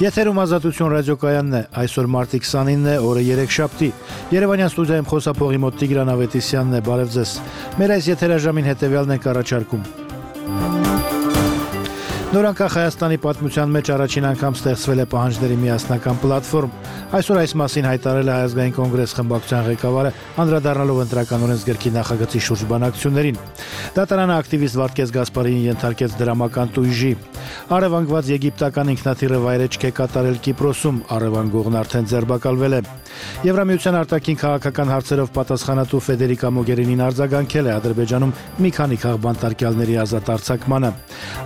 Եթերում Ազատություն ռադիոկայանն է, այսօր մարտի 29 է, օրը երեքշաբթի։ Երևանյան ստուդիայում խոսափողի մոտ Տիգրան Ավետիսյանն է, բարև ձեզ։ Մեր այս եթերաժամին հետևյալն ենք առաջարկում։ Նորանկախ Հայաստանի պատմության մեջ առաջին անգամ ստեղծվել է պահանջների միասնական պլատֆորմ։ Այսօր այս մասին հայտարարել է Հայ ազգային կոնգրես խմբակցության ղեկավարը, անդրադառնալով ընտրական օրենսգրքի նախագծի շուրջ բանակցություններին։ Դատարանը ակտիվիստ Վարդգես Գասպարյանին ենթարկեց դրամական տույժի։ Առևանգված եգիպտական ինքնաթիռը վայրեջք է կատարել Կիպրոսում, առևանգողն արդեն ձերբակալվել է։ Եվրամիության արտաքին քաղաքական հարցերով պատասխանատու Ֆեդերիկա Մոգերինին արձագանքել է Ադրբեջանում մի քանի քաղբանտարկյալների ազատ արձակմանը։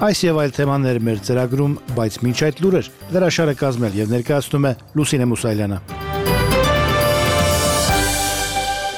Այս եւ այլ թեմաներ մեր ծրագրում, բայց մինչ այդ լուրեր դրաշարը կազմել եւ ներկայացնում է Լուսինե Մուսայելյանը։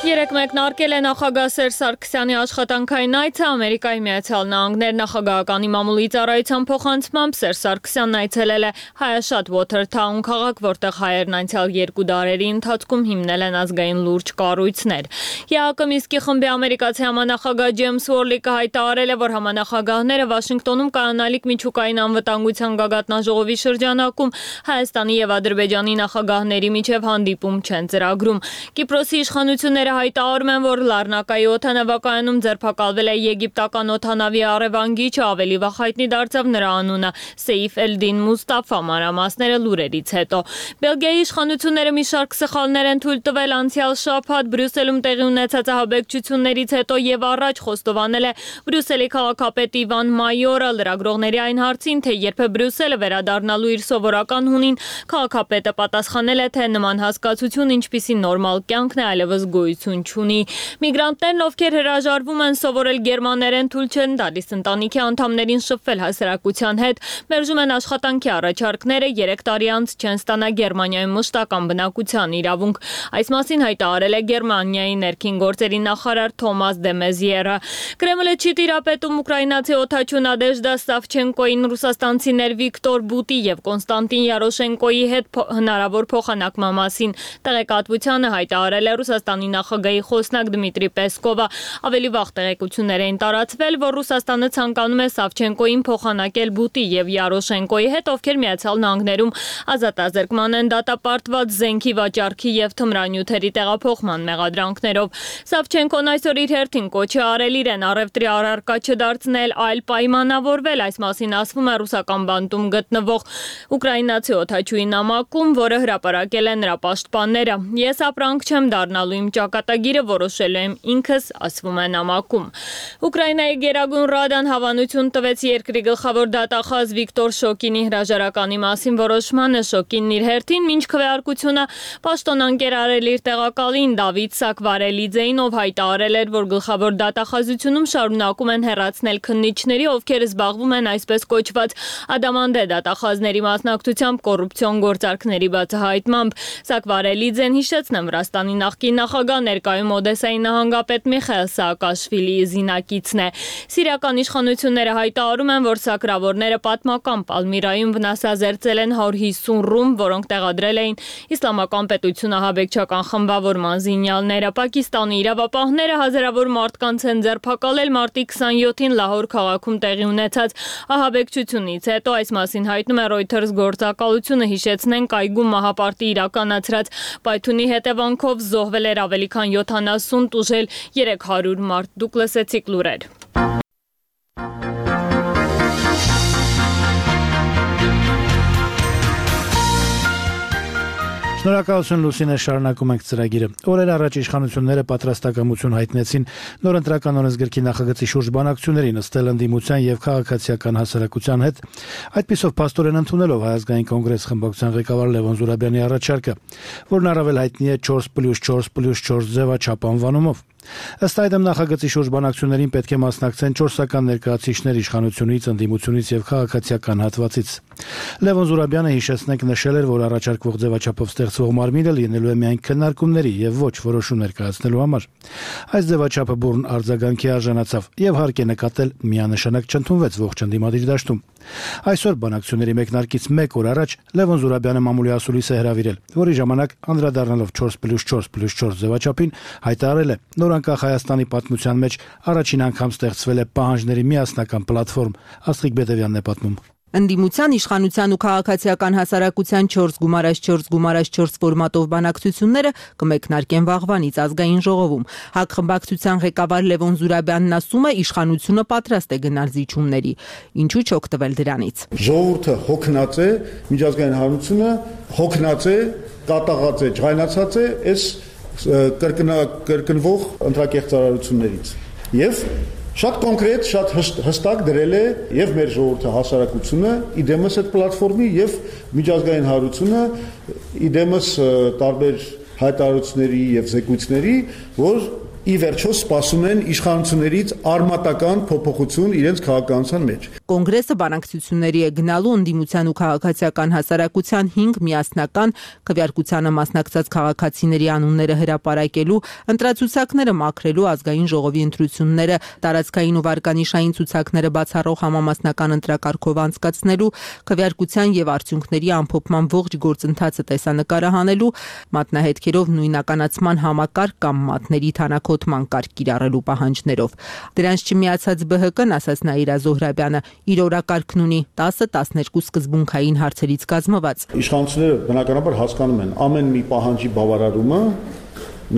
Երեկ մեկնարկել է նախագահ Սերժ Սարգսյանի աշխատանքային այցը Ամերիկայի Միացյալ Նահանգներ նախագահականի մամուլի ծառայության փոխանցմամբ Սերժ Սարգսյանն այցելել է Հայաշատ Watertown քաղաք, որտեղ հայերն անցյալ 2 դարերի ընթացքում հիմնել են ազգային լուրջ կառույցներ։ ԵԱԿ Մինսկի խմբի ամերիկացի համանախագահ Ջեյմս Ուորլիկը հայտարարել է, որ համանախագահները Վաշինգտոնում կայանալիք միջուկային անվտանգության գագաթնաժողովի շրջանակում Հայաստանի եւ Ադրբեջանի նախագահների միջև հանդիպում չեն ծրագրում։ Կիպրոսի իշխանությունները հայտարարում են, որ Լառնակայի օդանավակայանում ձերբակալվել է եգիպտական օդանավի առևանգիչը, ավելի վաղ հայտնի դարձավ նրա անունը Սեյֆ Էլդին Մուստաֆա, մանրամասները լուրերից հետո։ Բելգիայի իշխանությունները մի շարք սխալներ են թույլ տվել անցյալ շաբաթ Բրյուսելում տեղի ունեցած ահաբեկչություններից հետո եւ առաջ խոստովանել է Բրյուսելի քաղաքապետ Իվան Մայորը լրագրողների այն հարցին, թե երբ է Բրյուսելը վերադառնալու իր սովորական հունին, քաղաքապետը պատասխանել է, թե նման հասկացություն ինչպիսի նորմալ կյանքն է այլևս գոյություն չունի։ Միգրանտներն, ովքեր հրաժարվում են սովորել գերմաներեն, թույլ չեն տալիս ընտանիքի անդամներին շփվել հասարակության հետ, մերժում են աշխատանքի առաջարկները, 3 տարի անց չեն ստանա Գերմանիայում մշտական բնակության իրավունք։ Այս մասին հայտարարել է Գերմանիայի ներքին գործերի նախարար Թոմաս դե Մեզիերը։ Կրեմլը չի տիրապետում ուկրաինացի օդաչու Նադեժդա Սավչենկոին ռուսաստանցիներ Վիկտոր Բուտի եւ Կոնստանտին Յարոշենկոյի հետ հնարավոր փոխանակման մասին։ Տեղեկատվությանը հայտարարել է Ռուսաստանի նախագահի խոսնակ Դմիտրի Պեսկովը։ Ավելի վաղ տեղեկություններ էին տարածվել, որ Ռուսաստանը ցանկանում է Սավչենկոին փոխանակել Բուտի եւ Յարոշենկոյի հետ, ովքեր Միացյալ Նահանգներում ազատազրկման են դատապարտված զենքի վաճառքի եւ թմրանյութերի տեղափոխման մեղադրանքներով։ Սավչենկոն այսօր իր հերթին կոչ է արել իրեն առևտրի առարկա չդարձնել, այլ պայմանավորվել։ Այս մասին ասվում է ռուսական բանտում գտնվող ուկրաինացի օդաչուի նամակում, որը հրապարակել են նրա պաշտպանները։ Ես ապրանք չեմ դառնալու, իմ ճակատագիրը որոշելու եմ ինքս, ասվում է նամակում։ Ուկրաինայի Գերագույն Ռադան հավանություն տվեց երկրի գլխավոր դատախազ Վիկտոր Շոկինի հրաժարականի մասին որոշմանը։ Շոկինն իր հերթին մինչ քվեարկությունը պաշտոնանկեր արել իր տեղակալին Դավիթ Սակվարելիձեին, ով հայտարարել էր, որ գլխավոր դատախազությունում շարունակում են հեռացնել քննիչների, ովքեր զբաղվում են այսպես կոչված ադամանդե դատախազների մասնակցությամբ կոռուպցիոն գործարքների բացահայտմամբ։ Սակվարելիձեն հիշեցնեմ Վրաստանի նախկին նախագահ, ներկայում Օդեսայի նահանգապետ Միխայել Սաակաշվիլիի զինակիցն է։ Սիրիական իշխանությունները հայտարարում են, որ սակրավորները պատմական Պալմիրայում վնասազերծել են 150 ռում, որոնք տեղադրել էին Իսլամական պետություն ահաբեկչական խմբավորման զինյալները։ Պակիստանի իրավապահները հազարավոր մարդկանց են ձերբակալել մարտի 27-ին Լահոր քաղաքում տեղի ունեցած ահաբեկչությունից հետո։ Այս մասին հայտնում է Reuters գործակալությունը, հիշեցնենք, այգում մահապարտի իրականացրած պայթունի հետևանքով զոհվել էր ավելի քան 70, տուժել 300 մարդ։ Դուք լսեցիք լուրեր։ Շնորհակալություն Լուսինե, շարունակում ենք ծրագիրը։ Օրեր առաջ իշխանությունները պատրաստակամություն հայտնեցին նոր ընտրական օրենսգրքի նախագծի շուրջ բանակցություններին նստել ընդդիմության եւ քաղաքացիական հասարակության հետ, այդպիսով փաստորեն ընդունելով Հայ ազգային կոնգրես խմբակցության ղեկավար Լևոն Զուրաբյանի առաջարկը, որն առավել հայտնի է 4+4+4 ձևաչափ անվանումով։ Ըստ այդմ նախագծի շուրջ բանակցություններին պետք է մասնակցեն 4-ական ներկայացուցիչներ իշխանությունից, ընդդիմությունից եւ քաղաքացիական հատվածից։ Լևոն Զուրաբյանը, հիշեցնենք, նշել էր, որ առաջարկվող ձևաչափով ստեղծվող մարմինը լինելու է միայն քննարկումների եւ ոչ որոշում ներկայացնելու համար։ Այս ձևաչափը բուրըն արձագանքի արժանացավ եւ հարկ է նկատել միանշանակ չընդունվեց ողջ ընդդիմադիր դաշտում։ Այսօր բանակցությունների մեկնարկից 1 օր առաջ Լևոն Զուրաբյանը մամուլի ասուլիս է հրավիրել, որի ժամանակ անդրադառնալով 4+4+4 ձևաչափին հայտարարել է, նոր անկախ Հայաստանի պատմության մեջ առաջին անգամ ստեղծվել է պահանջների միասնական պլատֆորմ։ Աստղիկ Բետևյանն է պատմում։ Ընդդիմության, իշխանության ու քաղաքացիական հասարակության 4+4+4 ֆորմատով բանակցությունները կմեկնարկեն վաղվանից ազգային ժողովում։ ՀԱԿ խմբակցության ղեկավար Լևոն Զուրաբյանն ասում է, իշխանությունը պատրաստ է գնալ զիջումների։ Ինչու չօգտվել դրանից։ Ժողովուրդը հոգնած է, միջազգային հանրությունը հոգնած է, կատաղած է, ջղայնացած է այս կրկնվող ընտրակեղծարարություններից։ Եվ շատ կոնկրետ, շատ հստակ դրել է եւ մեր ժողովրդը հասարակությունը իդեմս այդ պլատֆորմի եւ միջազգային հանրությունը իդեմս տարբեր հայտարարությունների եւ զեկույցների, որ ի վերջո սպասում են իշխանություններից արմատական փոփոխություն իրենց քաղաքականության մեջ։ Կոնգրեսը բանակցությունների է գնալու ընդդիմության ու քաղաքացիական հասարակության 5 միասնական քվեարկությանը մասնակցած քաղաքացիների անունները հրապարակելու, ընտրացուցակները մաքրելու, ազգային ժողովի ընտրությունները տարածքային ու վարկանիշային ցուցակները բացառող համամասնական ընտրակարգով անցկացնելու, քվեարկության եւ արդյունքների ամփոփման ողջ գործընթացը տեսանկարահանելու, մատնահետքերով նույնականացման համակարգ կամ մատների թանաքոտման կարգ կիրառելու պահանջներով։ Դրանց չմիացած ԲՀԿ-ն, ասաց Նաիրա Զոհրաբյանը, իր օրակարգն ունի 10-12 սկզբունքային հարցերից կազմված։ Իշխանությունները բնականաբար հասկանում են, ամեն մի պահանջի բավարարումը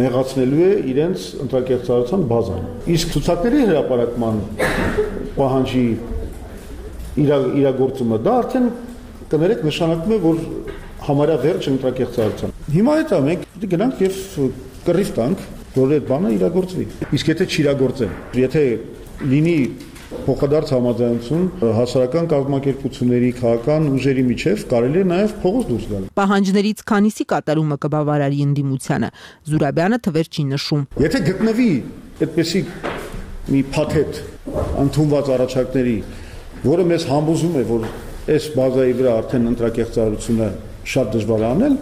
նեղացնելու է իրենց ընտրակեղծարարության բազան։ Իսկ ցուցակների հրապարակման պահանջի իրագործումը դա արդեն կներեք նշանակում է, որ համարյա վերջ ընտրակեղծարարության։ Հիմա հետո մենք գնանք եւ կռիվ տանք, որ այդ բանը իրագործվի։ Իսկ եթե չիրագործեն, եթե լինի փոխադարձ համաձայնություն հասարակական կազմակերպությունների, քաղաքական ուժերի միջև, կարելի է նաև փողոց դուրս գալ։ Պահանջներից քանիսի կատարումը կբավարարի ընդդիմությանը։ Զուրաբյանը թվեր չի նշում։ Եթե գտնվի այդպեսի մի փաթեթ ընդունված առաջարկների, որը մեզ համոզում է, որ այս բազայի վրա արդեն ընտրակեղծարարությունը շատ դժվար է անել,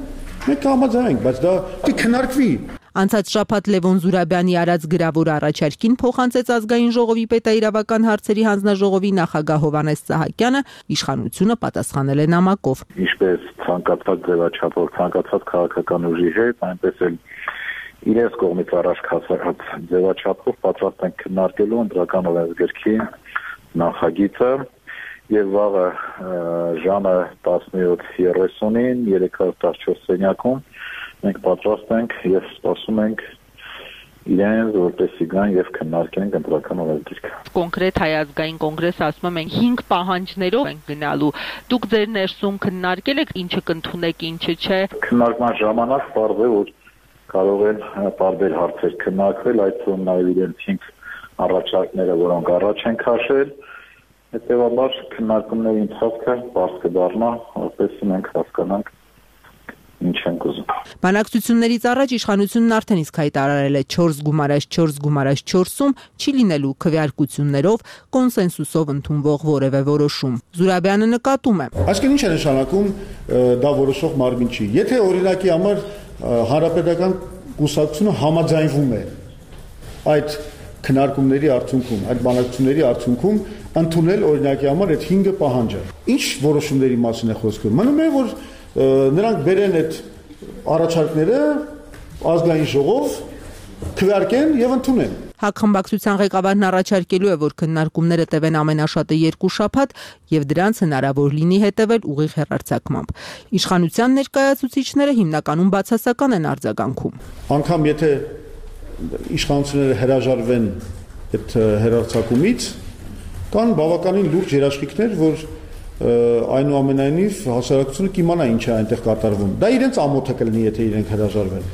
մենք կհամաձայնենք, բայց դա կքննարկվի։ Անցած շաբաթ Լևոն Զուրաբյանի արած գրավոր առաջարկին փոխանցեց ազգային ժողովի պետաիրավական հարցերի հանձնաժողովի նախագահ Հովհաննես Սահակյանը, իշխանությունը պատասխանել է նամակով։ Ինչպես ցանկացած ձևաչափով, ցանկացած քաղաքական ուժի հետ, այնպես էլ իրենց կողմից առաջ քաշած ձևաչափով պատրաստ են քննարկելու ընտրական օրենսգրքի նախագիծը եւ վաղը ժամը 17:30-ին 314 սենյակում մենք պատրաստ ենք եւ սպասում ենք իրենց, որպեսզի գան եւ քննարկեն ընտրական օրենսգիրքը։ Կոնկրետ Հայ ազգային կոնգրեսը ասում է, մենք 5 պահանջներով ենք գնալու։ Դուք ձեր ներսում քննարկել եք ինչը կընդունեք, ինչը չէ։ Քննարկման ժամանակ պարզ է, որ կարող են տարբեր հարցեր քննարկվել, այդ թվում նաեւ իրենց 5 առաջարկները, որոնք առաջ են քաշել։ Հետևաբար քննարկումների ընթացքը պարզ կդառնա, որպեսզի մենք հասկանանք ինչ ենք ուզում։ Բանակցություններից առաջ իշխանությունն արդեն իսկ հայտարարել է 4+4+4-ում չի լինելու քվեարկություններով, կոնսենսուսով ընդունվող որևէ որոշում։ Զուրաբյանը նկատում է։ Այսինքն ինչ է նշանակում դա որոշող մարմին չի։ Եթե օրինակի համար հանրապետական կուսակցությունը համաձայնվում է այդ քննարկումների արդյունքում, այդ բանակցությունների արդյունքում ընդունել օրինակի համար այդ 5 պահանջը։ Ինչ որոշումների մասին է խոսքը։ Մնում է, որ նրանք բերեն այդ առաջարկները ազգային ժողով, քվեարկեն եւ ընդունեն։ ՀԱԿ խմբակցության ղեկավարն առաջարկելու է, որ քննարկումները տևեն ամենաշատը 2 շաբաթ եւ դրանց հնարավոր լինի հետեւել ուղիղ հեռարձակմամբ։ Իշխանության ներկայացուցիչները հիմնականում բացասական են արձագանքում։ Անկամ եթե իշխանությունները հրաժարվեն այդ հեռարձակումից, կան բավականին լուրջ երաշխիքներ, որ այնուամենայնիվ հասարակությունը կիմանա ինչ է այնտեղ կատարվում։ Դա իրենց ամոթը կլինի, եթե իրենք հրաժարվեն։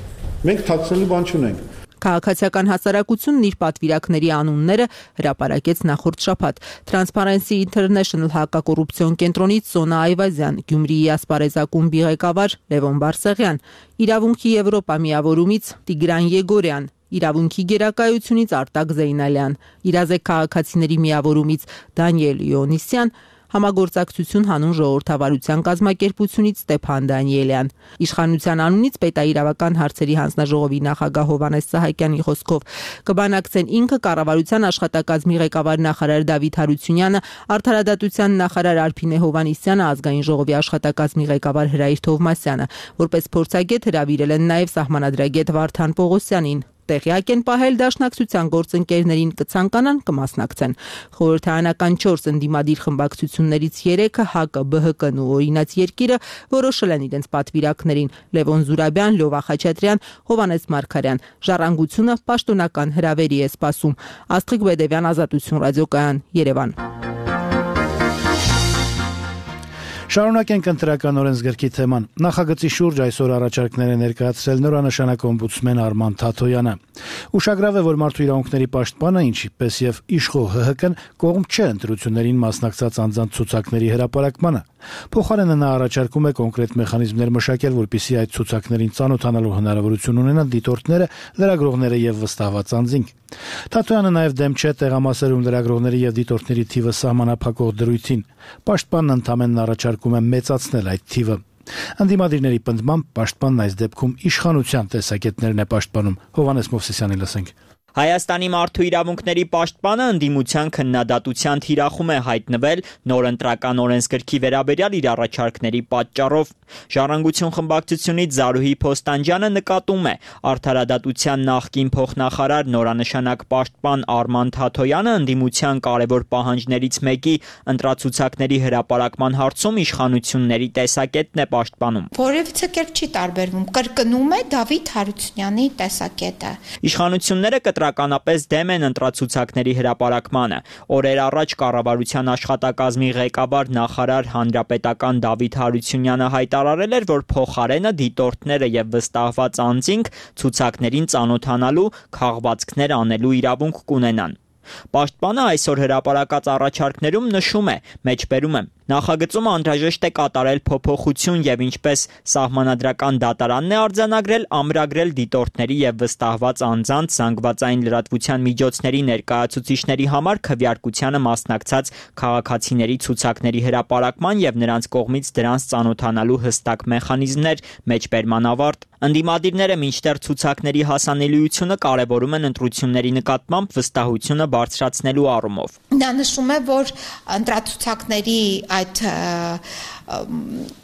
Մենք թաքցնելու բան չունենք։ Քաղաքացիական հասարակությունն իր պատվիրակների անունները հրապարակեց նախորդ շաբաթ։ Transparency International հակակոռուպցիոն կենտրոնից Սոնա Այվազյան, Գյումրիի ասպարեզակումբի ղեկավար Լևոն Բարսեղյան, Իրավունքի Եվրոպա միավորումից Տիգրան Եգորյան, Իրավունքի գերակայությունից Արտակ Զեյնալյան, Իրազեկ քաղաքացիների միավորումից Դանիել Իոնիսյան, Համագործակցություն հանուն ժողովրդավարության կազմակերպությունից Ստեփան Դանիելյան։ Իշխանության անունից պետաիրավական հարցերի հանձնաժողովի նախագահ Հովհաննես Սահակյանի խոսքով կբանակցեն ինքը, կառավարության աշխատակազմի ղեկավար նախարար Դավիթ Հարությունյանը, արդարադատության նախարար Արփինե Հովհաննիսյանը, ազգային ժողովի աշխատակազմի ղեկավար Հրայր Թովմասյանը, որպես փորձագետ հրավիրել են նաև սահմանադրագետ Վարդան Պողոսյանին։ Տեղյակ են պահել դաշնակցության գործընկերներին կցանկանան կմասնակցեն։ Խորհրդարանական 4 ընդդիմադիր խմբակցություններից 3-ը ՀԱԿ, ԲՀԿ-ն ու Օրինաց երկիրը որոշել են իրենց պատվիրակներին՝ Լևոն Զուրաբյան, Լյովա Խաչատրյան, Հովհաննես Մարգարյան։ Ժառանգությունը պաշտոնական հրավերի է սպասում։ Աստղիկ Բեդևյան, Ազատություն ռադիոկայան, Երևան։ Շարունակենք ընտրական օրենսգրքի թեման։ Նախագծի շուրջ այսօր առաջարկներ է ներկայացրել նորանշանակ օմբուդսմեն Արման Թաթոյանը։ Ուշագրավ է, որ մարդու իրավունքների պաշտպանը, ինչպես եւ իշխող ՀՀԿ-ն կողմ չէ ընտրություններին մասնակցած անձանց ցուցակների հրապարակմանը։ Փոխարենը նա առաջարկում է կոնկրետ մեխանիզմներ մշակել, որպեսզի այդ ցուցակներին ծանոթանալու հնարավորություն ունենան դիտորդները, լրագրողները եւ վստահված անձինք։ Թաթոյանը նաեւ դեմ չէ տեղամասերում լրագրողների եւ դիտորդների թիվը սահմանափակող դրույթին։ Պաշտպանն ընդամենն առաջարկում է մեծացնել այդ թիվը։ Ընդդիմադիրների պնդմամբ պաշտպանն այս դեպքում իշխանության տեսակետներն է պաշտպանում։ Հովհաննես Մովսիսյանի լսենք։ Հայաստանի մարդու իրավունքների պաշտպանը ընդդիմության քննադատության թիրախում է հայտնվել նոր ընտրական օրենսգրքի վերաբերյալ իր առաջարկների պատճառով։ Ժառանգություն խմբակցությունից Զարուհի Փոստանջյանը նկատում է, արդարադատության նախկին փոխնախարար նորանշանակ պաշտպան Արման Թաթոյանը ընդդիմության կարևոր պահանջներից մեկի ընտրացուցակների հրապարակման հարցում իշխանությունների տեսակետն է պաշտպանում։ Որևիցե կերպ չի տարբերվում, կրկնում է Դավիթ Հարությունյանի տեսակետը։ Իշխանությունները կտրականապես դեմ են ընտրացուցակների հրապարակմանը։ Օրեր առաջ կառավարության աշխատակազմի ղեկավար նախարար հանրապետական Դավիթ Հարությունյանը հայտարարել էր, որ փոխարենը դիտորդները եւ վստահված անձինք ցուցակներին ծանոթանալու, քաղվածքներ անելու իրավունք կունենան։ Պաշտպանը այսօր հրապարակած առաջարկներում նշում է, մեջբերում եմ, նախագծում անհրաժեշտ է կատարել փոփոխություն եւ ինչպես սահմանադրական դատարանն է արձանագրել, ամրագրել դիտորդների եւ վստահված անձանց զանգվածային լրատվության միջոցների ներկայացուցիչների համար քվեարկությանը մասնակցած քաղաքացիների ցուցակների հրապարակման եւ նրանց կողմից դրանց ծանոթանալու հստակ մեխանիզմներ, մեջբերման ավարտ։ Ընդդիմադիրները մինչդեռ ցուցակների հասանելիությունը կարևորում են ընտրությունների նկատմամբ վստահությունը բարձրացնելու առումով։ Նա նշում է, որ ընտրացուցակների այդ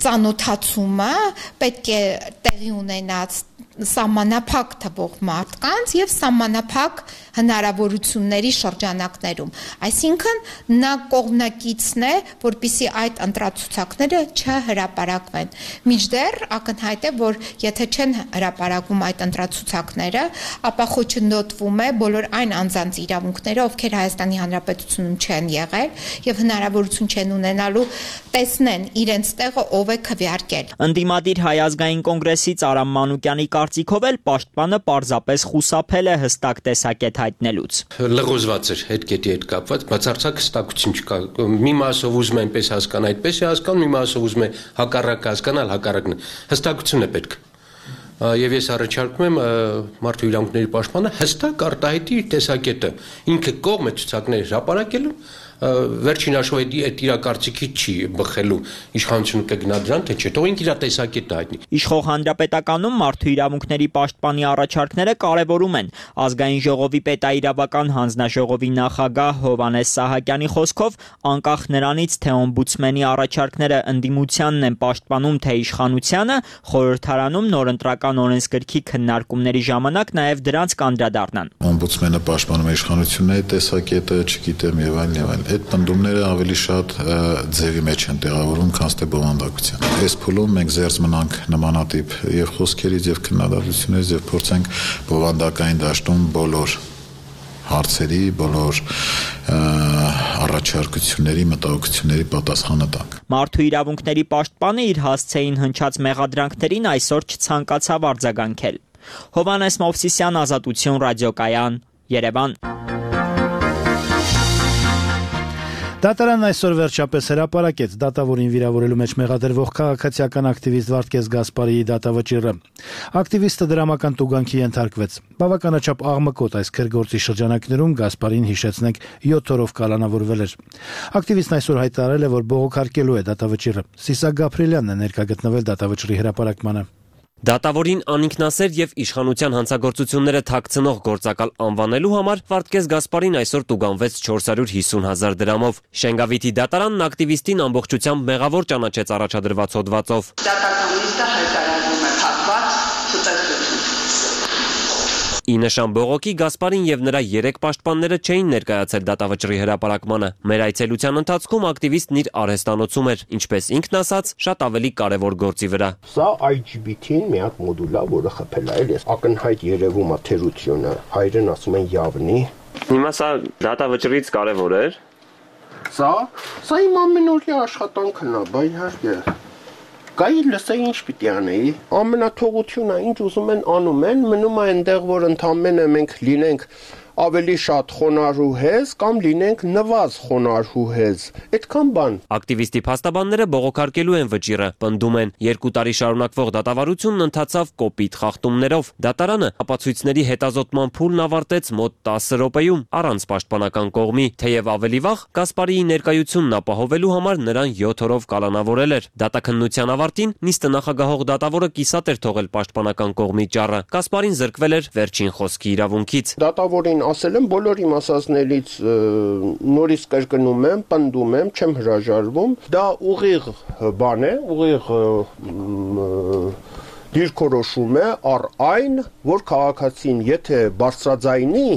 ծանոթացումը պետք է տեղի ունենաց սահմանափակ թվող մարդկանց եւ սահմանափակ հնարավորությունների շրջանակներում։ Այսինքն նա կողմնակիցն է, որպեսզի այդ ընտրացուցակները չհրապարակվեն։ Մինչդեռ ակնհայտ է, որ եթե չեն հրապարակվում այդ ընտրացուցակները, ապա խոչընդոտվում է բոլոր այն անձանց իրավունքները, ովքեր Հայաստանի Հանրապետությունում չեն եղել եւ հնարավորություն չեն ունենալու տեսնեն իրենց տեղը ով է քվեարկել։ Ընդդիմադիր Հայ ազգային կոնգրեսից Արամ Մանուկյանի կարծիքով էլ պաշտպանը պարզապես խուսափել է հստակ տեսակետ հայտնելուց։ Լղոզված էր այդ կետի հետ կապված, բացարձակ հստակություն չկա։ Մի մասով ուզում է այնպես հասկանալ, այդպես է հասկանում, մի մասով ուզում է հակառակ հասկանալ, հակառակն է։ Հստակություն է պետք։ Եվ ես առաջարկում եմ մարդու իրավունքների պաշտպանը հստակ արտահայտի իր տեսակետը։ Ինքը կողմ է ցուցակների հրապարակելու, վերջին հաշվով այդ իր կարծիքից չի բխելու, իշխանությունը կգնա դրան, թե չէ, թող ինքը իր տեսակետը հայտնի։ Իշխող հանրապետականում մարդու իրավունքների պաշտպանի առաջարկները կարևորում են։ Ազգային ժողովի պետաիրավական հանձնաժողովի նախագահ Հովհաննես Սահակյանի խոսքով, անկախ նրանից, թե օմբուդսմենի առաջարկները ընդդիմությանն են պաշտպանում, թե իշխանությանը, խորհրդարանում նոր ընտրական օրենսգրքի քննարկումների ժամանակ նաև դրանց կանդրադառնան։ Օմբուդսմենը պաշտպանում է իշխանությունների տեսակետը, չգիտեմ եւ այլն։ Այդ պնդումները ավելի շատ ձևի մեջ են տեղավորում, քան թե բովանդակության։ Այս փուլում մենք զերծ մնանք նմանատիպ եւ խոսքերից եւ քննադատություններից եւ փորձենք բովանդակային դաշտում բոլոր հարցերի, բոլոր առաջարկությունների, մտահոգությունների պատասխանը տանք։ Մարդու իրավունքների պաշտպանը իր հասցեին հնչած մեղադրանքներին այսօր չցանկացավ արձագանքել։ Հովհաննես Մովսիսյան, Ազատություն ռադիոկայան, Երևան։ Դատարանն այսօր վերջապես հրապարակեց դատավորին վիրավորելու մեջ մեղադրվող քաղաքացիական ակտիվիստ Վարդգես Գասպարիի դատավճիռը։ Ակտիվիստը դրամական տուգանքի ենթարկվեց։ Բավականաչափ աղմկոտ այս քրգործի շրջանակներում Գասպարին, հիշեցնենք, 7 օրով կալանավորվել էր։ Ակտիվիստն այսօր հայտարարել է, որ բողոքարկելու է դատավճիռը։ Սիսակ Գաբրիելյանն է ներկա գտնվել դատավճռի հրապարակմանը։ Դատավորին անինքնասեր եւ իշխանության հանցագործությունները թաքցնող գործակալ անվանելու համար Վարդգես Գասպարին այսօր տուգանվեց 450,000 դրամով։ Շենգավիթի դատարանն ակտիվիստին ամբողջությամբ մեղավոր ճանաչեց առաջադրված հոդվածով։ Դատական նիստը հայտարարվում է փակված ցուցակություն։ Ի նշան բողոքի Գասպարին եւ նրա 3 պաշտպանները չէին ներկայացել դատավճռի հրապարակմանը։ Մեր այցելության ընթացքում ակտիվիստն իր արհեստանոցում էր, ինչպես ինքն ասաց, շատ ավելի կարևոր գործի վրա։ Սա IGBT-ին մի հատ մոդուլ է, որը խփել է, էս ակնհայտ երևում է թերությունը, հայերեն ասում են явնի։ Հիմա սա դատավճռից կարևոր էր։ Սա իմ ամենօրյա աշխատանքն է, բայ իհարկե։ Գայի լսեի ինչ պիտի անեի, ամենաթողությունը ինչ ուզում են անում են, մնում է այնտեղ, որ ընդամենը մենք լինենք ավելի շատ խոնարհուհեզ կամ լինենք նվազ խոնարհուհեզ, այդքան բան։ Ակտիվիստի փաստաբանները բողոքարկելու են վճիռը, պնդում են 2 տարի շարունակվող դատավարությունն ընթացավ կոպիտ խախտումներով։ Դատարանը ապացույցների հետազոտման փուլն ավարտեց մոտ 10 րոպեում առանց պաշտպանական կողմի, թեև ավելի վաղ Գասպարիի ներկայությունն ապահովելու համար նրան 7 օրով կալանավորել էր։ Դատաքննության ավարտին նիստը նախագահող դատավորը կիսատ էր թողել պաշտպանական կողմի ճառը։ Գասպարին զրկվել էր վերջին խոսքի իրավունքից։ Դատավորին ասել եմ բոլոր իմ ասածներից նորից կրկնում եմ, պնդում եմ, չեմ հրաժարվում, դա ուղիղ բան է, ուղիղ դիրքորոշում է առ այն, որ քաղաքացին եթե բարձրաձայնի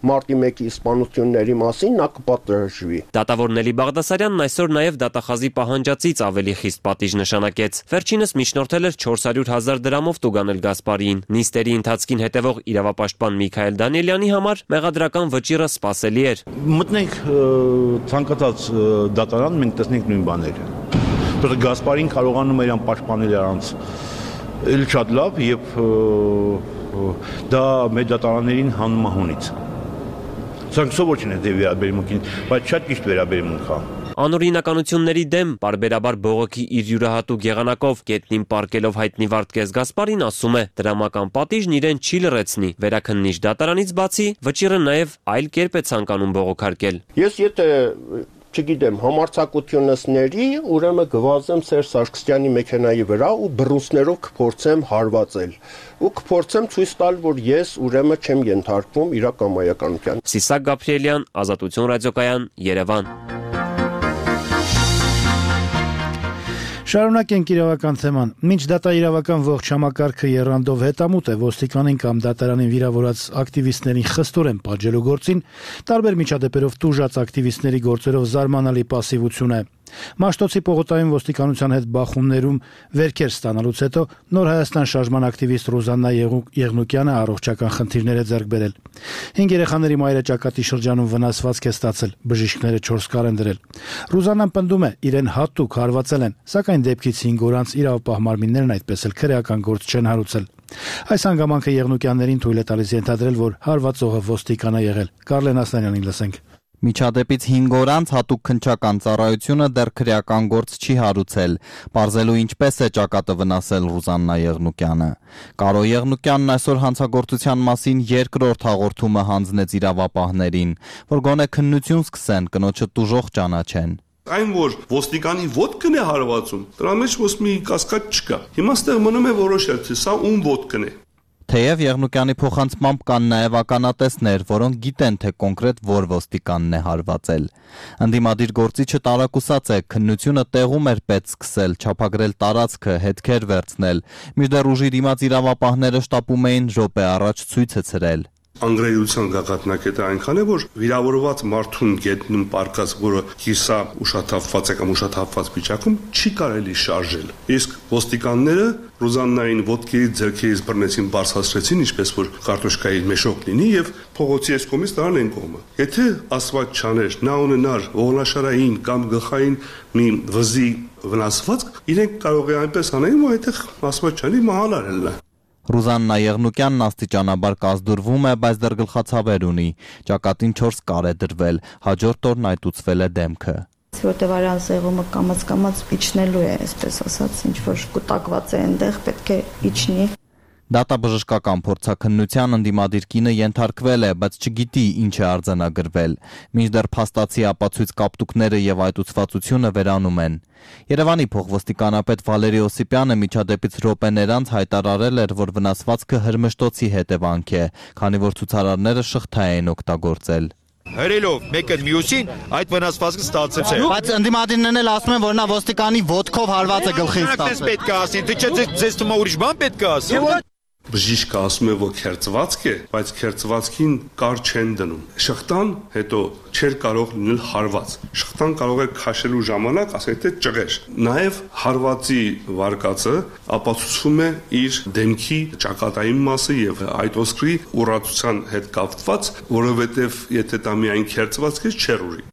մարտի 1-ի սպանությունների մասին նա կպատժվի։ Դատավոր Նելի Բաղդասարյանն այսօր նաև դատախազի պահանջածից ավելի խիստ պատիժ նշանակեց։ Վերջինս միջնորդել էր 400,000 դրամով տուգանել Գասպարիին։ Նիստերի ընթացքին հետևող իրավապաշտպան Միքայել Դանիելյանի համար մեղադրական վճիռը սպասելի էր։ Մտնենք ցանկացած դատարան, մենք տեսնենք նույն բաները։ Որը Գասպարին կարողանում էր անպաշտպանել առանց էլ շատ լավ եւ դա մեր դատարաններին հանում է հունից։ Սրանք չէ վերաբերմունքին, բայց շատ ճիշտ վերաբերմունք է։ Անօրինականությունների դեմ բարբերաբար բողոքի իր յուրահատուկ եղանակով գետնին պարկելով հայտնի Վարդգես Գասպարին ասում է, դրամական պատիժն իրեն չի լրացնի, վերաքննիչ դատարանից բացի վճիռը նաև այլ կերպ է ցանկանում բողոքարկել։ Ես եթե չգիտեմ, համարձակությունս ների, ուրեմն գվազեմ Սերժ Սարգսյանի մեքենայի վրա ու բռունցքներով կփորձեմ հարվածել։ Ու կփորձեմ ցույց տալ, որ ես ուրեմն չեմ ենթարկվում իրակամայականության։ Սիսակ Գաբրիելյան, Ազատություն ռադիոկայան, Երևան։ Շարունակենք իրավական թեման։ Մինչ դատաիրավական ողջ համակարգը եռանդով հետամուտ է ոստիկանին կամ դատարանին վիրավորած ակտիվիստներին խստորեն պատժելու գործին, տարբեր միջադեպերով տուժած ակտիվիստների գործերով զարմանալի պասիվություն է։ Մաշտոցի պողոտայում ոստիկանության հետ բախումներում վերքեր ստանալուց հետո Նոր Հայաստան շարժման ակտիվիստ Ռուզաննա Եղնուկյանը առողջական խնդիրներ է ձեռք բերել։ 5 երեխաների մայրը ճակատի շրջանում վնասվածք է ստացել, բժիշկները 4 կար են դրել։ Ռուզաննան պնդում է, իրեն հատուկ հարվածել են, սակայն դեպքից 5 օր անց իրավապահ մարմիններն այդպես էլ քրեական գործ չեն հարուցել։ Այս հանգամանքը Եղնուկյաններին թույլ է տալիս ենթադրել, որ հարվածողը ոստիկան է եղել։ Կարլեն Ասլանյանին լսենք։ Միջադեպից 5 օր անց հատուկ քննչական ծառայությունը դեռ քրեական գործ չի հարուցել, պարզելու ինչպես է ճակատը վնասել Ռուզաննա Եղնուկյանը։ Կարո Եղնուկյանն այսօր հանցագործության մասին երկրորդ հաղորդումը հանձնեց իրավապահներին, որ գոնե քննություն սկսեն, կնոջը տուժող ճանաչեն։ Այն որ ոստիկանի ոտքն է հարվածում, դրա մեջ ոնց մի կասկած չկա։ Հիմա ստեղ մնում է որոշել, թե սա ում ոտքն է։ Թեև Եղնուկյանի փոխանցմամբ կան նաև ականատեսներ, որոնք գիտեն, թե կոնկրետ որ ոստիկանն է հարվածել։ Ընդդիմադիր գործիչը տարակուսած է, քննությունը տեղում էր պետք սկսել, չափագրել տարածքը, հետքեր վերցնել, մինչդեռ ուժի դիմաց իրավապահները շտապում էին րոպե առաջ ցույցը ցրել։ Անգրեյության գաղափնակետը այնքան է, որ վիրավորված մարդուն գետնում պարկած, որը կիսա ուշաթափված է կամ ուշաթափված վիճակում, չի կարելի շարժել։ Իսկ ոստիկանները Ռուզաննային ոտքերի ձեռքերից բռնեցին, բարձրացրեցին, ինչպես որ կարտոշկայի մեշոկ լինի եւ փողոցի այս կողմից դրան են կողմը։ Եթե ասված չաներ, նա ունենար ողնաշարային կամ գլխային մի վզի վնասվածք, իրենք կարող է այնպես անել, որ այդտեղ ասված չանի մահանալ։ Ռուզաննա Եղնուկյանն աստիճանաբար կազդուրվում է, բայց դեռ գլխացավեր ունի։ Ճակատին 4 կար է դրվել, հաջորդ օրն այտուցվել է դեմքը։ Որտեղ արյան սեղումը կամաց իջնելու է, այսպես ասած, ինչ որ կուտակված է այնտեղ, պետք է իջնի։ Դատաբժշկական փորձաքննության ընդդիմադիր կինը ենթարկվել է, բայց չգիտի ինչ է արձանագրվել։ Մինչդեռ փաստացի ապացույց կապտուկները եւ այտուցվածությունը վերանում են։ Երևանի փոխոստիկանապետ Վալերի Օսիպյանը միջադեպից րոպեներ անց հայտարարել էր, որ վնասվածքը հրմշտոցի հետևանք է, քանի որ ցուցարարները շղթա էին օգտագործել։ Հրելով մեկը մյուսին այդ վնասվածքը ստացել է։ Բայց ընդդիմադիրներն էլ ասում են, որ նա ոստիկանի ոտքով հարված է գլխին ստացել։ Պետք է ասի, դե չէ ձեզ թվում է ուրիշ բան պետք է ասի։ Բժիշկը ասում է, որ քերծվածք է, բայց քերծվածքին կար չեն դնում։ Շղթան հետո չէր կարող լինել հարված։ Շղթան կարող է քաշելու ժամանակ ասել թե ճղեր։ Նաև հարվածի վարկածը ապացուցվում է իր դեմքի ճակատային մասը եւ այդ ոսկրի ուռածության հետ կապված, որովհետեւ եթե դա միայն քերծվածք է, չէր ուռի։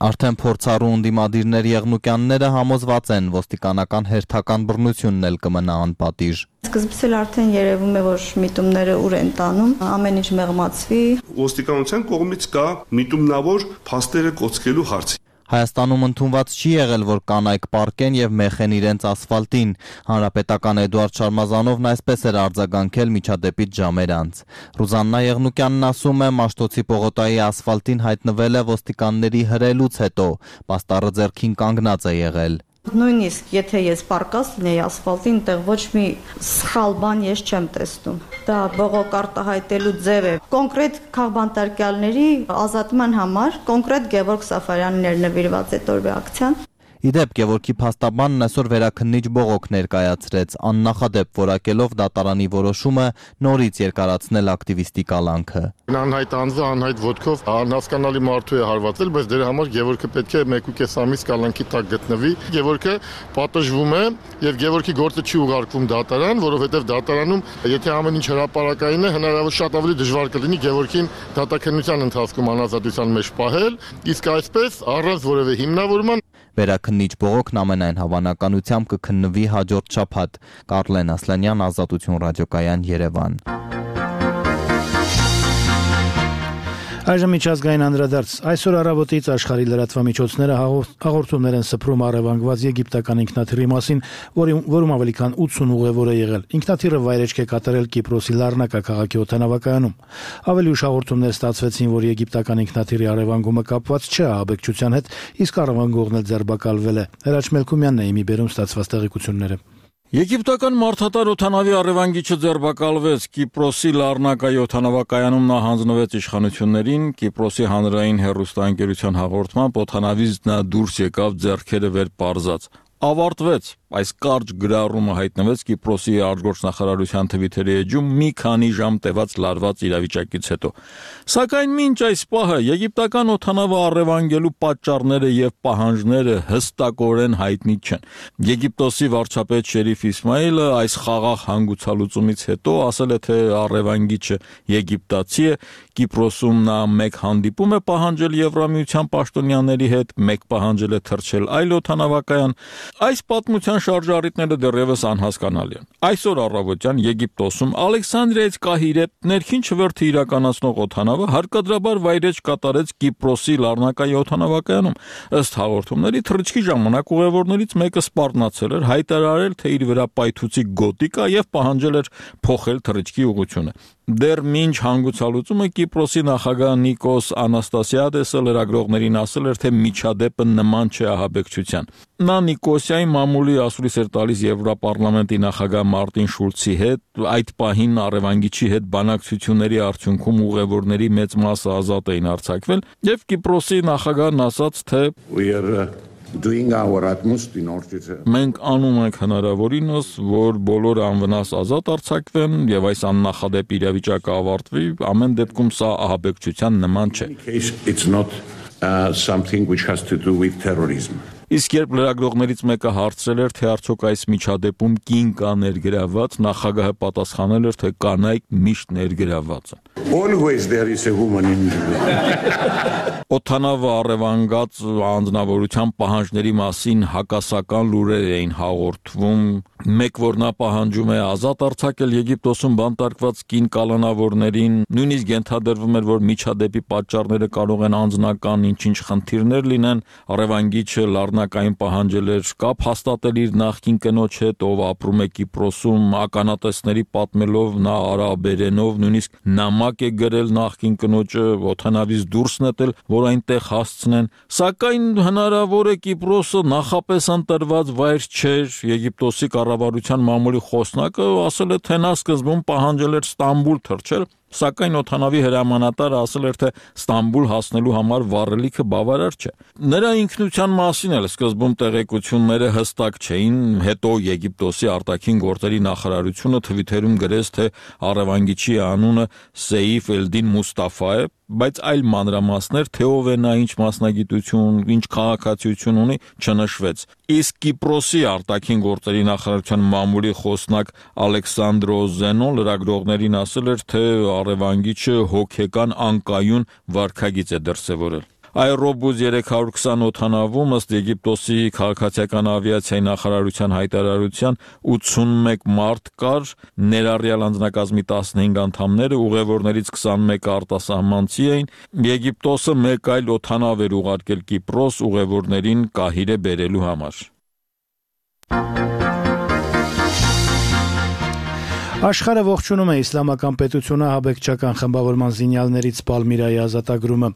Արդեն փորձառու ընդդիմադիրներ Եղնուկյանները համոզված են ոստիկանական հերթական բռնությունն էլ կմնա անպատիժ։ Սկզբից էլ արդեն երևում է, որ միտումները ուր են տանում, ամեն ինչ մեղմացվի։ Ոստիկանության կողմից կա միտումնավոր փաստերը կոծկելու հարց։ Հայաստանում ընդունված չի եղել, որ կանայք պարկեն եւ մեխեն իրենց ասֆալտին։ Հանրապետական Էդուարդ Շարմազանովն այսպես էր արձագանքել միջադեպից ժամեր անց։ Ռուզաննա Եղնուկյանն ասում է, Մաշտոցի պողոտայի ասֆալտին հայտնվել է ոստիկանների հրելուց հետո, պաստառը ձեռքին կանգնած է եղել։ Նույնիսկ եթե ես պարկած լինեի ասֆալտին, այնտեղ ոչ մի սխալ բան ես չեմ տեսնում։ Դա բողոք արտահայտելու ձև է։ Կոնկրետ քաղբանտարկյալների ազատման համար կոնկրետ Գևորգ Սաֆարյանն նվիրված է տորվա ակցիան։ Իդեպ Գևորգի փաստաբանն այսօր վերաքննիչ բողոք ներկայացրեց, աննախադեպ որակելով դատարանի որոշումը նորից երկարացնել ակտիվիստի կալանքը։ Անհայտ անձը անհայտ ոտքով անհասկանալի մարդու է հարվածել, բայց դրա համար Գևորգը պետք է 1.5 ամիս կալանքի տակ գտնվի։ Գևորգը պատժվում է եւ Գևորգի գործը չի ուղարկվում դատարան, որովհետեւ դատարանում, եթե ամեն ինչ հրապարակային է, հնարավոր շատ ավելի դժվար կլինի Գևորգին դատաքննության ընթացքում անազատության մեջ պահել, իսկ այսպես առանց որևէ հիմնավորման Վերաքննիչ բողոքն ամենայն հավանականությամբ կքննվի հաջորդ շաբաթ։ Կարլեն Ասլանյան, Ազատություն ռադիոկայան, Երևան։ Այժմ միջազգային անդրադարձ։ Այսօր առավոտից աշխարհի լրատվամիջոցները հաղորդումներ են սփռում առևանգված եգիպտական ինքնաթիռի մասին, որում ավելի քան 80 ուղևոր է եղել։ Ինքնաթիռը վայրեջք է կատարել Կիպրոսի Լառնակա քաղաքի օդանավակայանում։ Ավելի ուշ հաղորդումներ ստացվեցին, որ եգիպտական ինքնաթիռի առևանգումը կապված չէ ահաբեկչության հետ, իսկ առևանգողն էլ ձերբակալվել է։ Հրաչ Մելքումյանն է իմի բերում ստացված տեղեկությունները։ Եգիպտական մարդատար օդանավի առևանգիչը ձերբակալվեց Կիպրոսի Լառնակայի օդանավակայանում նա հանձնվեց իշխանություններին Կիպրոսի հանրային հեռուստաընկերության հաղորդմամբ օդանավից նա դուրս եկավ ձեռքերը վեր պարզած ավարտվեց այս կարճ գրառումը հայտնվեց Կիպրոսի արտգործնախարարության Թվիթերի էջում մի քանի ժամ տևած լարված իրավիճակից հետո սակայն մինչ այս պահը եգիպտական օդանավը առևանգելու պատճառները եւ պահանջները հստակորեն հայտնի չեն Եգիպտոսի վարչապետ Շերիֆ Իսմայելը այս խաղաղ հանգուցալուծումից հետո ասել է թե առևանգիչը եգիպտացի է Կիպրոսում նա մեկ հանդիպում է պահանջել Եվրամիության պաշտոնյաների հետ մեկ պահանջել է թռչել այլ օդանավակայան այս պատմության շարժառիթները դեռևս անհասկանալի են։ Այսօր առավոտյան Եգիպտոսում Ալեքսանդրիայից Կահիրե ներքին չվերթը իրականացնող օդանավը հարկադրաբար վայրեջք կատարեց Կիպրոսի Լառնակայի օդանավակայանում։ Ըստ հաղորդումների թռիչքի ժամանակ ուղևորներից մեկը սպառնացել էր, հայտարարել, թե իր վրա պայթուցիկ գոտի կա եւ պահանջել էր փոխել թռիչքի ուղղությունը։ Դեռ մինչ հանգուցալուծումը Կիպրոսի նախագահ Նիկոս Անաստասիադեսը լրագրողներին ասել էր, թե միջադեպը նման չէ ահաբեկչության։ Նա Նիկոսիայի մամուլի ասուլիս էր տալիս Եվրոպարլամենտի նախագահ Մարտին Շուլցի հետ, այդ պահին առևանգիչի հետ բանակցությունների արդյունքում ուղևորների մեծ մասը ազատ էին արձակվել, եւ Կիպրոսի նախագահն ասաց, թե Մենք անում ենք հնարավորինս, որ բոլորը անվնաս ազատ արձակվեն եւ այս աննախադեպ իրավիճակը ավարտվի, ամեն դեպքում սա ահաբեկչության նման չէ։ Իսկ երբ լրագրողներից մեկը հարցրել էր, թե արդյոք այս միջադեպում կին կա ներգրավված, նախագահը պատասխանել էր, թե կանայք միշտ ներգրավված են։ Always there is a woman in Օդանավը առևանգած անձնավորության պահանջների մասին հակասական լուրեր էին հաղորդվում, մեկ որ նա պահանջում է ազատ արձակել Եգիպտոսում բանտարկված կին կալանավորներին, նույնիսկ ենթադրվում էր, որ միջադեպի պատճառները կարող են անձնական ինչ-ինչ խնդիրներ լինեն, առևանգիչը Լառնակային պահանջել էր կապ հաստատել իր նախկին կնոջ հետ, ով ապրում է Կիպրոսում, ականատեսների պատմելով նա արաբերենով, նույնիսկ նամակ է գրել նախկին կնոջը օդանավից դուրս նետել, որ այնտեղ հասցնեն, սակայն հնարավոր է Կիպրոսը նախապես ընտրված վայր չէր, Եգիպտոսի կառավարության մամուլի խոսնակը ասել է, թե նա սկզբում պահանջել էր Ստամբուլ թռչել, Սակայն օդանավի հրամանատարը ասել էր, թե Ստամբուլ հասնելու համար վառելիքը բավարար չէ։ Նրա ինքնության մասին էլ սկզբում տեղեկությունները հստակ չէին, հետո Եգիպտոսի արտաքին գործերի նախարարությունը Թվիթերում գրեց, թե առևանգիչի անունը Սեյֆ Էլդին Մուստաֆա է, բայց այլ մանրամասներ, թե ով է նա, ինչ մասնագիտություն, ինչ քաղաքացիություն ունի, չնշվեց։ Իսկ Կիպրոսի արտաքին գործերի նախարարության մամուլի խոսնակ Ալեքսանդրո Զենո լրագրողներին ասել էր, թե առևանգիչը հոգեկան անկայուն վարքագիծ է դրսևորել։ Aerobus 320 օդանավում ըստ Եգիպտոսի քաղաքացիական ավիացիայի նախարարության հայտարարության 81 մարդ կար, ներառյալ անձնակազմի 15 անդամները, ուղևորներից 21-ը արտասահմանցի էին։ Եգիպտոսը մեկ այլ օդանավ էր ուղարկել Կիպրոս ուղևորներին Կահիրե բերելու համար։ Աշխարհը ողջունում է իսլամական պետությունը հաբեկչական խմբավորման զինյալներից Պալմիրայի ազատագրումը։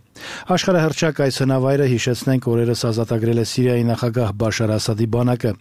Աշխարհը հռչակ այս հնավայրը հիշեցնենք օրերս ազատագրել է Սիրիայի նախագահ Բաշար Ասադի բանակը։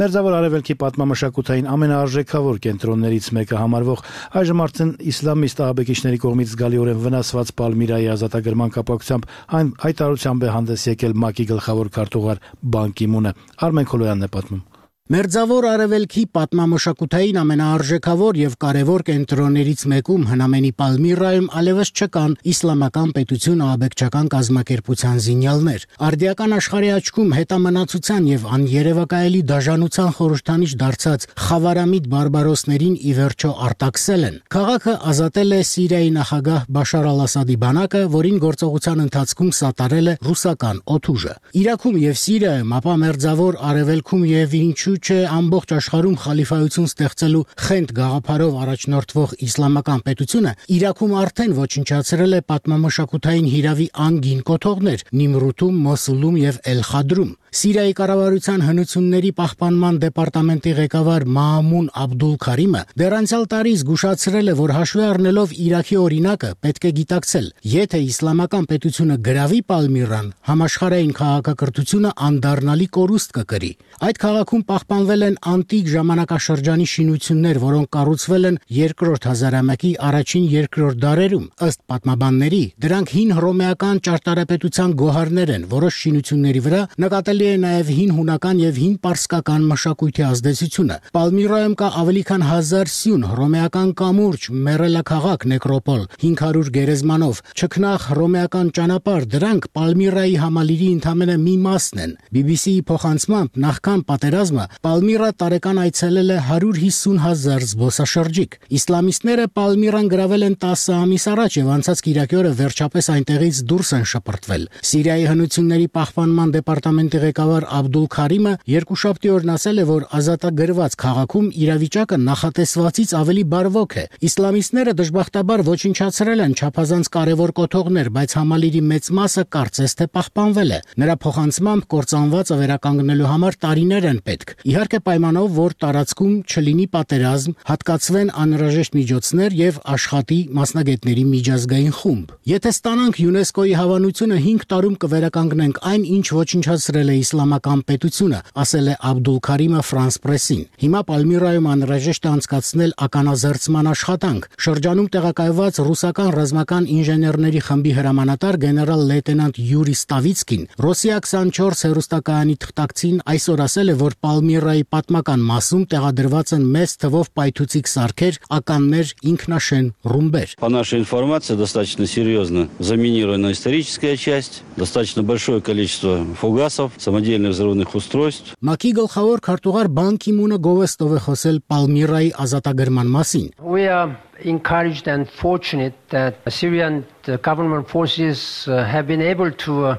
Մերձավոր Արևելքի պատմամշակութային ամենաարժեքավոր կենտրոններից մեկը համարվող այժմ արդեն իսլամիստ ահաբեկիչների կողմից զգալիորեն վնասված Պալմիրայի ազատագրման կապակցությամբ այն հայտարարությամբ է հանդես եկել ՄԱԿ-ի գլխավոր քարտուղար Բան Կի Մունը։ Արմեն Քոլոյանն է պատմում։ Մերձավոր Արևելքի պատմամշակութային ամենաարժեքավոր եւ կարեւոր կենտրոններից մեկում հնամենի Պալմիրայում ալևս չկան իսլամական պետություն ահաբեկչական կազմակերպության զինյալներ։ Արդիական աշխարհի աչքում հետամնացության եւ աներևակայելի դաժանության խորհրդանիշ դարձած խավարամիտ բարբարոսներին ի վերջո արտաքսել են։ Քաղաքը ազատել է Սիրիայի նախագահ Բաշար al-Ասադի բանակը, որին գործողության ընթացքում սատարել է ռուսական օդուժը։ Իրաքում եւ Սիրիայում, ապա Մերձավոր Արևելքում եւ ինչու չէ ամբողջ աշխարհում խալիֆայություն ստեղծելու խենթ գաղափարով առաջնորդվող իսլամական պետությունը Իրաքում արդեն ոչնչացրել է պատմամշակութային հիրավի անգին կոթողներ Նիմրութում, Մոսուլում եւ Էլ-Խադրում։ Սիրիայի կառավարության հնությունների պահպանման դեպարտամենտի ղեկավար Մաամուն Աբդուլ Քարիմը դեռ անցյալ տարի զգուշացրել է, որ հաշվի առնելով Իրաքի օրինակը պետք է գիտակցել, եթե իսլամական պետությունը գրավի Պալմիրան, համաշխարհային քաղաքակրթությունը անդառնալի կորուստ կկրի։ Այդ քաղաքում պահպանվել են անտիկ ժամանակաշրջանի շինություններ, որոնք կառուցվել են երկրորդ հազարամյակի առաջին երկրորդ դարերում։ Ըստ պատմաբանների, դրանք հին հռոմեական ճարտարապետության գոհարներ են, որոշ շինությունների վրա նկատելի է նաև հին հունական եւ հին պարսկական մշակույթի ազդեցությունը։ Պալմիրայում կա ավելի քան 1000 սյուն, հռոմեական կամուրջ, մեռելաքաղաք, նեկրոպոլ, 500 գերեզմանով, չքնաղ հռոմեական ճանապարհ, դրանք Պալմիրայի համալիրի ընդամենը մի մասն են։ BBC-ի փոխանցմամբ նախքան պատերազմը Պալմիրա տարեկան այցելել է 150,000 զբոսաշրջիկ։ Իսլամիստները Պալմիրան գրավել են 10 ամիս առաջ եւ անցած կիրակի օրը վերջապես այնտեղից դուրս են շպրտվել։ Սիրիայի հնությունների պահպանման դեպարտամենտի ղեկավար Աբդուլ Քարիմը երկուշաբթի օրն ասել է, որ ազատագրված քաղաքում իրավիճակը նախատեսվածից ավելի բարվոք է։ Իսլամիստները դժբախտաբար ոչնչացրել են չափազանց կարևոր կոթողներ, բայց համալիրի մեծ մասը կարծես թե պահպանվել է։ Նրա փոխանցմամբ կործանվածը վերականգնելու համար տարիներ են պետք։ Իհարկե պայմանով, որ տարածքում չլինի պատերազմ, հատկացվեն անհրաժեշտ միջոցներ եւ աշխատի մասնագետների միջազգային խումբ։ Եթե ստանանք ՅՈՒՆԵՍԿՕ-ի հավանությունը 5 տարում կվերականգնենք այն, ինչ ոչնչացրել է իսլամական պետությունը, ասել է Աբդուլ Քարիմը Ֆրանս Պրեսին։ Հիմա Պալմիրայում անհրաժեշտ է անցկացնել ականազերծման աշխատանք։ Շրջանում տեղակայված ռուսական ռազմական ինժեներների խմբի հրամանատար գեներալ լեյտենանտ Յուրի Ստավիցկին Ռոսիա 24 հեռուստակայանի թղթակցին այսօր ասել է, որ Պալմիրայի պատմական մասում տեղադրված են մեծ թվով պայթուցիկ սարքեր, ականներ, ինքնաշեն ռումբեր։ По нашей информации, достаточно серьезно заминирована историческая часть, достаточно большое количество фугасов, самодельных взрывных устройств. ՄԱԿ-ի գլխավոր քարտուղար Բան Կի Մունը գովեստով է խոսել Պալմիրայի ազատագրման մասին։ We are encouraged and fortunate that Syrian government forces have been able to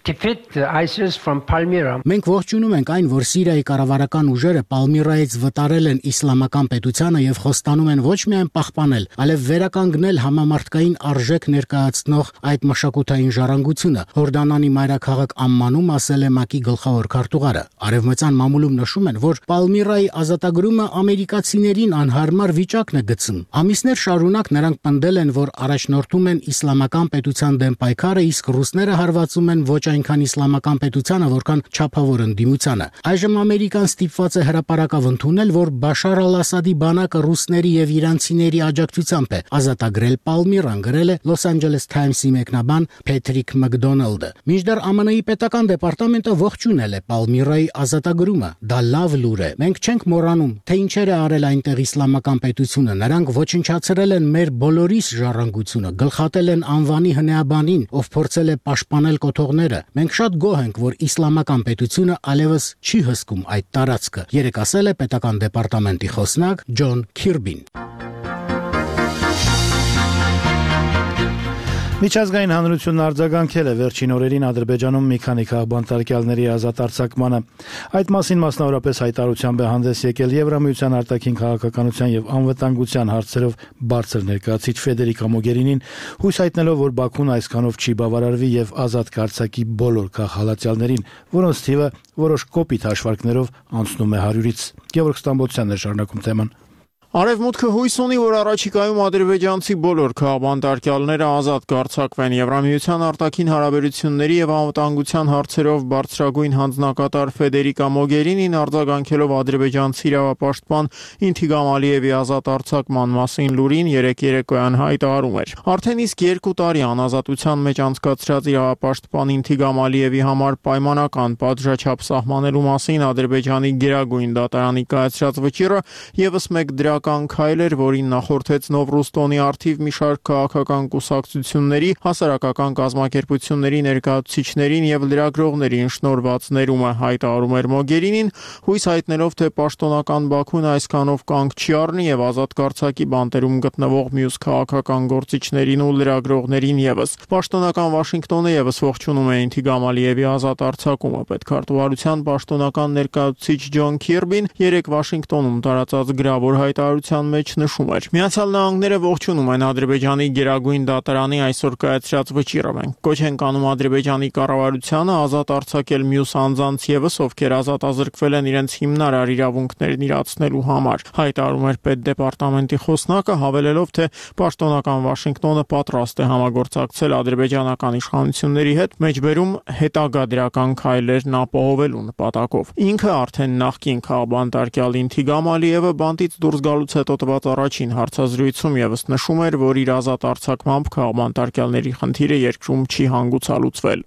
defeat ISIS from Palmyra. Մենք ողջունում ենք այն, որ Սիրիայի կառավարական ուժերը Պալմիրայից վտարել են իսլամական պետությանը եւ խոստանում են ոչ միայն պահպանել, այլև վերականգնել համամարտկային արժեք ներկայացնող այդ մշակութային ժառանգությունը։ Հորդանանի մայրաքաղաք Ամմանում ասել է ՄԱԿ-ի գլխավոր քարտուղարը։ Արևմտյան մամուլում նշում են, որ Պալմիրայի ազատագրումը ամերիկացիներին անհարմար վիճակն է գցում։ Ամիսներ շարունակ նրանք պնդել են, որ առաջնորդում են իսլամական պետության դեմ պայքարը, իսկ ռուսները հարվածում են ոչ այնքան իսլամական պետությանը, որքան չափավոր ընդդիմությանը։ Այժմ Ամերիկան ստիպված է հրապարակավ ընդունել, որ Բաշար al-Ասադի բանակը ռուսների եւ իրանցիների աջակցությամբ է ազատագրել Պալմիրան, գրել է Los Angeles Times-ի մեկնաբան Փեթրիկ Մակդոնալդը։ Մինչդեռ ԱՄՆ-ի պետական դեպարտամենտը ողջունել է Պալմիրայի ազատագրումը։ Դա լավ լուր է։ Մենք չենք մոռանում, թե ինչեր է արել այնտեղ իսլամական պետությունը։ Նրանք ոչնչացրել են մեր բոլորիս ժառանգությունը, գլխատել են անվանի հնեաբանին, ով փորձել է պաշտպանել կոթողները։ Մենք շատ գոհ ենք, որ իսլամական պետությունը այլևս չի հսկում այդ տարածքը, երեկ ասել է պետական դեպարտամենտի խոսնակ Ջոն Քիրբին։ Միջազգային հանրությունն արձագանքել է վերջին օրերին Ադրբեջանում մի քանի քաղաքբանտարկյալների ազատ արձակմանը։ Այդ մասին մասնավորապես հայտարարությամբ է հանդես եկել Եվրամիության արտաքին քաղաքականության եւ անվտանգության հարցերով բարձր ներկայացուցիչ Ֆեդերիկա Մոգերինին, հույս հայտնելով, որ Բաքուն այսքանով չի բավարարվի եւ ազատ կարձակի բոլոր քաղաքացիներին, որոնց թիվը որոշ կոպիտ հաշվարկներով անցնում է 100-ից։ Գևորգ Ստամբոլցյանն է շարունակում թեման։ Արևմուտքը հույս ունի, որ առաջիկայում ադրբեջանցի բոլոր քաղաքբանտարկյալները ազատ կարձակվեն։ Եվրամիության արտաքին հարաբերությունների եւ անվտանգության հարցերով բարձրագույն հանձնակատար Ֆեդերիկա Մոգերինին արձագանքելով ադրբեջանցի իրավապաշտպան Ինթիգամ Ալիևի ազատ արձակման մասին լուրին երեկ երեկոյան հայտարարում էր։ Արդեն իսկ 2 տարի անազատության մեջ անցկացրած իրավապաշտպան Ինթիգամ Ալիևի համար պայմանական պատժաչափ սահմանելու մասին Ադրբեջանի գերագույն դատարանի կայացրած վճիռը եւս մեկ քայլ էր, որին նախորդեց Նովրուստոնի արդիվ մի շարք քաղաքական կուսակցությունների, հասարակական կազմակերպությունների ներկայացուցիչներին եւ լրագրողներին շնորհված ներումը, հայտարարում էր Մոգերինին, հույս հայտնելով, թե պաշտոնական Բաքուն այսքանով կանգ չի առնի եւ ազատ կարձակի բանտերում գտնվող մյուս քաղաքական գործիչներին ու լրագրողներին եւս։ Պաշտոնական Վաշինգտոնը եւս ողջունում է Ինթիգամ Ալիևի ազատ արձակումը։ Պետքարտուղարության պաշտոնական ներկայացուցիչ Ջոն Քիրբին երեկ Վաշինգտոնում տարածած գրավոր հայտարարության մեջ նշում էր. Միացյալ Նահանգները ողջունում են Ադրբեջանի գերագույն դատարանի այսօր կայացրած վճիռը։ Մենք կոչ ենք անում Ադրբեջանի կառավարությանը ազատ արձակել մյուս անձանց եւս, ովքեր ազատ ազրկվել են իրենց հիմնարար իրավունքներն իրացնելու համար, հայտարարում էր պետդեպարտամենտի խոսնակը, հավելելով, թե պաշտոնական Վաշինգտոնը պատրաստ է համագործակցել ադրբեջանական իշխանությունների հետ, մեջբերում հետագա դրական քայլերն ապահովելու նպատակով։ Ինքը արդեն նախկին քաղաքբանտարկյալ Ինթիգամ Ալիևը բանտից դուրս գալուց հետո տված առաջին հարցազրույցում եւս նշում էր, որ իր ազատ արձակմամբ քաղաքբանտարկյալների խնդիրը երկրում չի հանգուցալուծվել։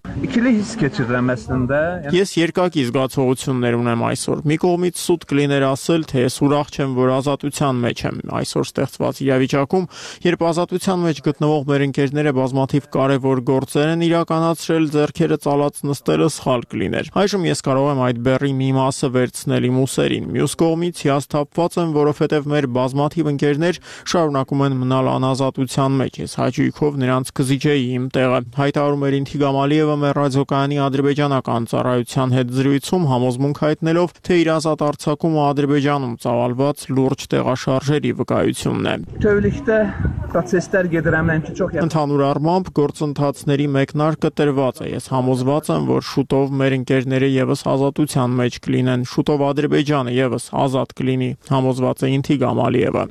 Ես երկակի զգացողություններ ունեմ այսօր։ Մի կողմից սուտ կլիներ ասել, թե ես ուրախ չեմ, որ ազատության մեջ եմ այսօր ստեղծված իրավիճակում, երբ ազատության մեջ գտնվող մեր ընկերները բազմաթիվ կարևոր գործեր են իրականացրել, ձեռքերը ծալած նստելը սխալ կլիներ։ Այժմ ես կարող եմ այդ բեռի մի մասը վերցնել իմ ուսերին։ Մյուս կողմից հիասթափված եմ, որովհետև մեր բազմաթիվ ընկերներ շարունակում են մնալ անազատության մեջ։ Ես հաճույքով նրանց կզիջեի իմ տեղը, հայտարարում էր Ինթիգամ Ալիևը մեր ռադիոկայանի ադրբեջանական ծառայության հետ զրույցում, համոզմունք հայտնելով, թե իր ազատ արձակումը Ադրբեջանում ծավալված լուրջ տեղաշարժերի վկայությունն է։ Ընդհանուր առմամբ գործընթացների մեկնարկը տրված է։ Ես համոզված եմ, որ շուտով մեր ընկերները եւս ազատության մեջ կլինեն, շուտով Ադրբեջանը եւս ազատ կլինի, համոզված է Ինթիգամ Ալիևը։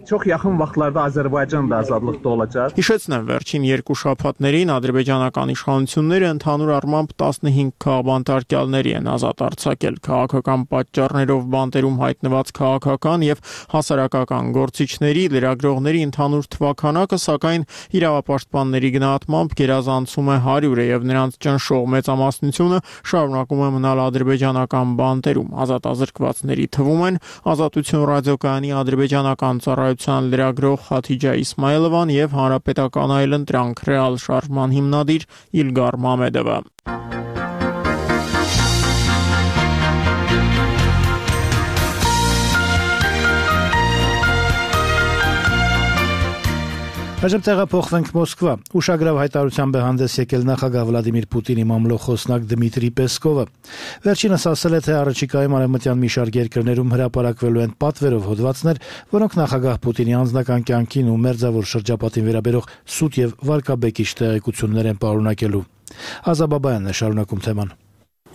Հիշեցնեմ, վերջին 2 շաբաթներին ադրբեջանական իշխանությունները ընդհանուր առմամբ 15 քաղաքբանտարկյալների են ազատ արձակել։ Քաղաքական պատճառներով բանտերում հայտնված քաղաքական եւ հասարակական գործիչների, լրագրողների ընդհանուր թվաքանակը, սակայն իրավապաշտպանների գնահատմամբ գերազանցում է 100-ը եւ նրանց ճնշող մեծամասնությունը շարունակում է մնալ ադրբեջանական բանտերում։ Ազատ ազրկվածների թվում են Ազատություն ռադիոկայանի ադրբեջանական ծառայության լրագրող Խաթիջա Իսմայելովան եւ հանրապետական այլընտրանք ռեալ շարժման հիմնադիր Իլգար Մամեդովը։ Այժմ տեղափոխվենք Մոսկվա։ Ուշագրավ հայտարարությամբ է հանդես եկել նախագահ Վլադիմիր Պուտինի մամլո խոսնակ Դմիտրի Պեսկովը։ Վերջինս ասել է, թե առաջիկայում արևմտյան մի շարք երկրներում հրապարակվելու են պատվերով հոդվածներ, որոնք նախագահ Պուտինի անձնական կյանքին ու մերձավոր շրջապատին վերաբերող սուտ եւ վարկաբեկիչ տեղեկություններ են պարունակելու։ Ազաբաբայանն է շարունակում թեման։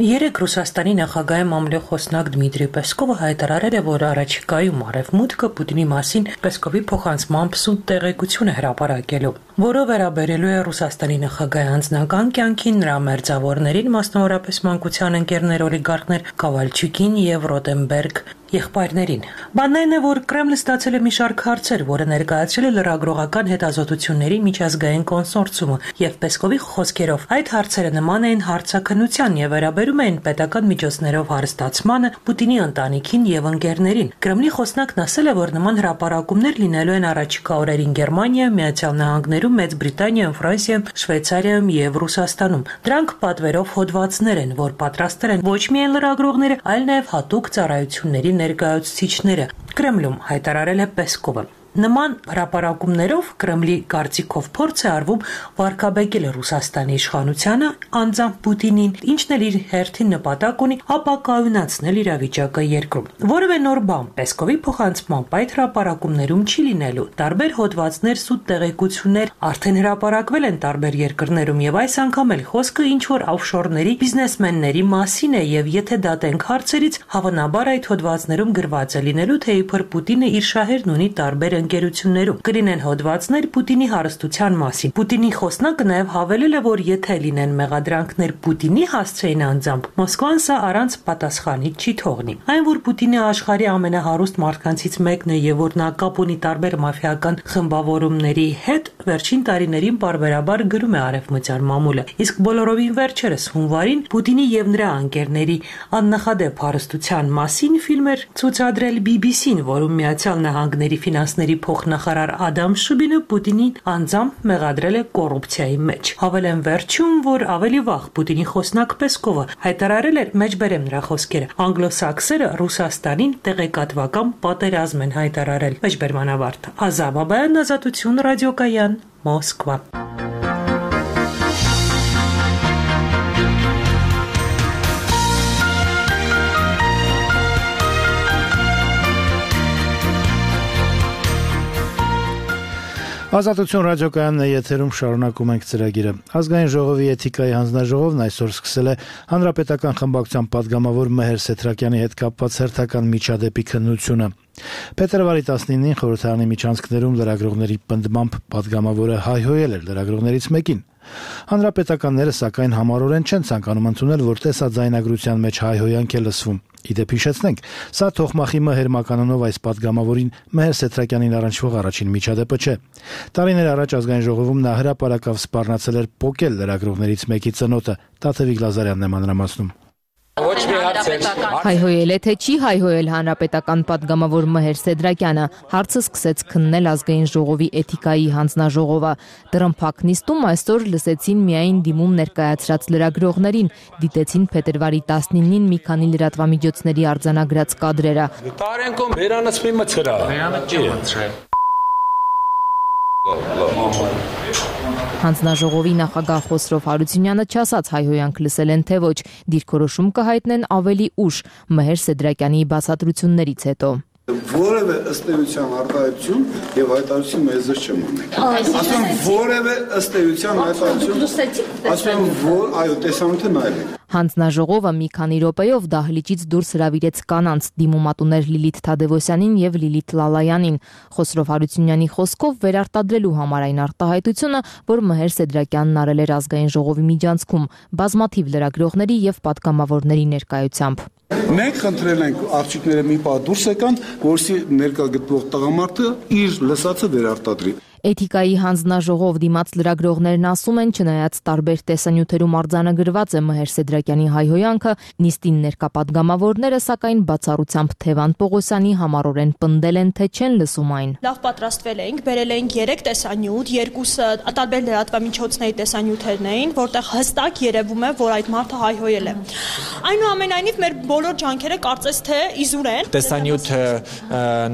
Երեկ Ռուսաստանի նախագահի մամլոյ խոսնակ Դմիտրի Պեսկովը հայտարարել է, որ առաջիկայում Արևմուտքը Պուտինի մասին Պեսկովի փոխանցմամբ սուտ տեղեկություն է հրապարակելու, որը վերաբերելու է Ռուսաստանի նախագահի անձնական կյանքին, նրա մերձավորներին, մասնավորապես մանկության ընկերներ օլիգարխներ Կավալչուկին եւ Ռոտենբերգ եղբայրներին։ Բանն այն է, որ Կրեմլը ստացել է մի շարք հարցեր, որը ներկայացրել է լրագրողական հետազոտությունների միջազգային կոնսորցիումը, եւ Պեսկովի խոսքերով այդ հարցերը նման էին հարցաքննության եւ վերաբերում էին պետական միջոցներով հարստացմանը, Պուտինի ընտանիքին եւ ընկերներին։ Կրեմլի խոսնակն ասել է, որ նման հրապարակումներ լինելու են առաջիկա օրերին Գերմանիայում, Միացյալ Նահանգներում, Մեծ Բրիտանիայում, Ֆրանսիայում, Շվեյցարիայում եւ Ռուսաստանում։ Դրանք պատվերով հոդվածներ են, որ պատրաստել են ոչ միայն լրագրողները, այլ նաեւ հատուկ ծառայությունների ներկայացուցիչները, Կրեմլում հայտարարել է Պեսկովը։ Նման հրապարակումներով Կրեմլի կարծիքով փորձ է արվում վարկաբեկել Ռուսաստանի իշխանությանը անձամբ Պուտինին, ինչն էլ իր հերթին նպատակ ունի ապակայունացնել իրավիճակը երկրում։ Որևէ նոր բան Պեսկովի փոխանցմամբ այդ հրապարակումներում չի լինելու։ Տարբեր հոդվածներ, սուտ տեղեկություններ արդեն հրապարակվել են տարբեր երկրներում եւ այս անգամ էլ խոսքը ինչ որ օֆշորների բիզնեսմենների մասին է եւ եթե դատենք հարցերից, հավանաբար այդ հոդվածներում գրված է լինելու, թե իբր Պուտինը իր շահերն ունի տարբեր ընկերություններում։ Կլինեն հոդվածներ Պուտինի հարստության մասին։ Պուտինի խոսնակը նաև հավելել է, որ եթե լինեն մեղադրանքներ Պուտինի հասցեին անձամբ, Մոսկվան սա առանց պատասխանի չի թողնի։ Այն, որ Պուտինը աշխարհի ամենահարուստ մարդկանցից մեկն է եւ որ նա կապ ունի տարբեր մաֆիական խմբավորումների հետ, վերջին տարիներին պարբերաբար գրում է Արևմտյան մամուլը։ Իսկ բոլորովին վերջերս հունվարին Պուտինի եւ նրա ընկերների աննախադեպ հարստության մասին ֆիլմ էր ցուցադրել BBC-ն, որում Միացյալ Նահանգների ֆինանսների փոխնախարար Ադամ Շուբինը Պուտինին անձամբ մեղադրել է կոռուպցիայի մեջ։ Հավելեն վերջում, որ ավելի վաղ Պուտինի խոսնակ Պեսկովը հայտարարել էր, մեջբերեմ նրա խոսքերը, անգլոսաքսերը Ռուսաստանին տեղեկատվական պատերազմ են հայտարարել։ Մեջբերման ավարտ։ Ազա Բաբայան, Ազատություն, ռադիոկայան, Մոսկվա։ Ազատություն ռադիոկայանն է եթերում, շարունակում ենք ծրագիրը։ Ազգային ժողովի էթիկայի հանձնաժողովն այսօր սկսել է հանրապետական խմբակցության падգամավոր Մեհեր Սեթրակյանի հետ կապված հերթական միջադեպի քննությունը։ Փետրվարի 19-ին խորհրդարանի միջանցքներում լրագրողների պնդմամբ падգամավորը հայհոյել էր լրագրողներից մեկին։ Հանրապետականները սակայն համառորեն չեն ցանկանում ընդունել, որ տեսաձայնագրության մեջ հայհոյանք է լսվում։ Իդեպ հիշեցնենք, սա Թոխմախի Մեհեր մականունով այս падգամավորին Մեհեր Սեթրակյանին առնչվող առաջին միջադեպը չէ։ Տարիներ առաջ ազգային ժողովում նա հրապարակավ սպառնացել էր պոկել լրագրողներից մեկի ծնոտը։ Տաթևիկ Լազարյանն է մանրամասնում։ Հայհոյել է թե չի հայհոյել հանրապետական падգամավոր Մեհեր Սեդրակյանը, հարցը սկսեց քննել ազգային ժողովի էթիկայի հանձնաժողովը։ Դռնփակ նիստում այսօր լսեցին միայն դիմում ներկայացրած լրագրողներին, դիտեցին փետրվարի 19-ին մի քանի լրատվամիջոցների արձանագրած կադրերը։ Հանձնաժողովի նախագահ Խոսրով Հարությունյանը չասաց հայհոյանք լսել են թե ոչ, դիրքորոշում կհայտնեն ավելի ուշ Մեհեր Սեդրակյանի բացատրություններից հետո։ Որևէ ըստ էության արտահայտություն եւ հայտարարություն մեզ չեմ ունի։ Ասում որևէ ըստ էության հայտարարություն, ասում որ այո, տեսանյութը նայել եք։ Հանձնաժողովը մի քանի րոպեով դահլիճից դուրս հրավիրեց կանանց դիմումատուներ Լիլիթ Թադևոսյանին եւ Լիլիթ Լալայանին։ Խոսրով Հարությունյանի խոսքով վերարտադրելու համար այն արտահայտությունը, որ Մեհեր Սեդրակյանն արել էր ազգային ժողովի միջանցքում բազմաթիվ լրագրողների եւ պատգամավորների ներկայությամբ։ Մենք խնդրել ենք աղջիկները մի պահ դուրս եկան, որովհետեւ ներկա գտնվող տղամարդը իր լսածը վերարտադրի։ Էթիկայի հանձնաժողով դիմաց լրագրողներն ասում են, չնայած տարբեր տեսանյութերում արձանագրված է Մեհեր Սեդրակյանի հայհոյանքը, նիստին ներկա падգամավորները սակայն բացառությամբ Թևան Պողոսյանի համառորեն պնդել են, թե չեն լսում այն։ Լավ պատրաստվել էինք, բերել էինք 3 տեսանյութ, երկուսը տարբեր լրատվամիջոցների տեսանյութերն էին, որտեղ հստակ երևում է, որ այդ մարդը հայհոյել է։ Այնուամենայնիվ մեր բոլոր ջանքերը կարծես թե իզուր են։ Տեսանյութը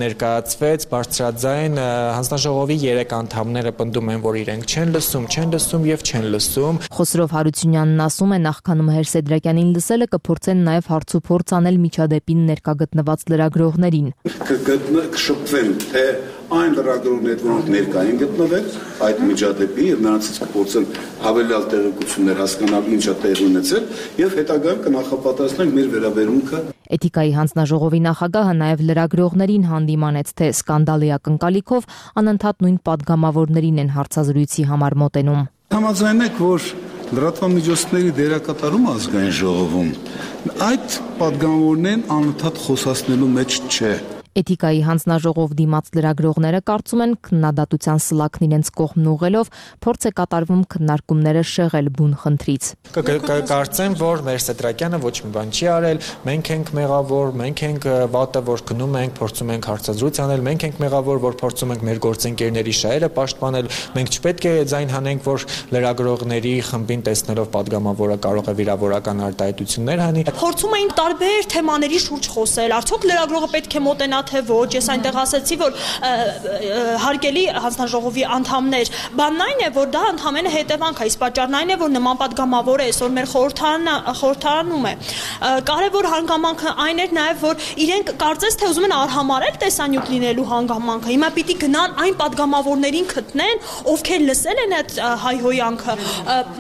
ներկայացվեց բարձրաձայն հանձնաժողովի 3 անդամները պնդում են, որ իրենք չեն լսում եւ չեն լսում։ Խոսրով Հարությունյանն ասում է, նախքանում Հեր Սեդրակյանին լսելը կփորձեն նաև հարցուփորձ անել միջադեպին ներկա գտնված լրագրողներին։ Կշփվեն, թե այն լրագրողներն, որոնք ներկա են գտնվել այդ միջադեպի եւ նրանցից կփորձեն հավելյալ տեղեկություններ հասկանալ ինչա տեղի ունեցել եւ հետագայում կնախապատրաստենք մեր վերաբերմունքը։ Էթիկայի հանձնաժողովի նախագահը նաև լրագրողներին հանդիմանեց, թե սկանդալի ակնկալիքով անընդհատ նույն падգամավորներին են հարցազրույցի համար մոտենում։ Համաձայնեք, որ լրատվամիջոցների դերակատարումը ազգային ժողովում այդ падգամավորներն անընդհատ խոսացնելու մեջ չէ։ Էթիկայի հանձնաժողով դիմաց լրագրողները կարծում են քննադատության սլաքն իրենց կողմն ուղղելով փորձ է կատարվում քննարկումները շեղել բուն խնդրից։ Կարծեմ, որ մեր Սեդրակյանը ոչ մի բան չի արել, մենք ենք մեղավոր, մենք ենք վատը, որ գնում ենք, փորձում ենք հարցազրույց անել, մենք ենք մեղավոր, որ փորձում ենք մեր գործընկերների շահերը պաշտպանել, մենք չպետք է ձայն հանենք, որ լրագրողների խմբին տեսնելով падգամավորը կարող է վիրավորական արտահայտություններ հանի։ Փորձում էին տարբեր թեմաների շուրջ խոսել, արդյոք լրագրողը պետք է մոտենա թե ոչ, ես այնտեղ ասացի, որ հարգելի հանձնաժողովի անդամներ, բանն այն է, որ դա ընդհանրապես հետևանք է, իսկ պատճառն այն է, որ նման падգամավոր է այսօր մեր խորհրդարանում է։ Կարևոր հանգամանքը այն էր նաև, որ իրենք կարծես թե ուզում են արհամարել տեսանյութ լինելու հանգամանքը։ Հիմա պիտի գնան այն падգամավորներին գտնեն, ովքեր լսել են այդ հայհոյանքը,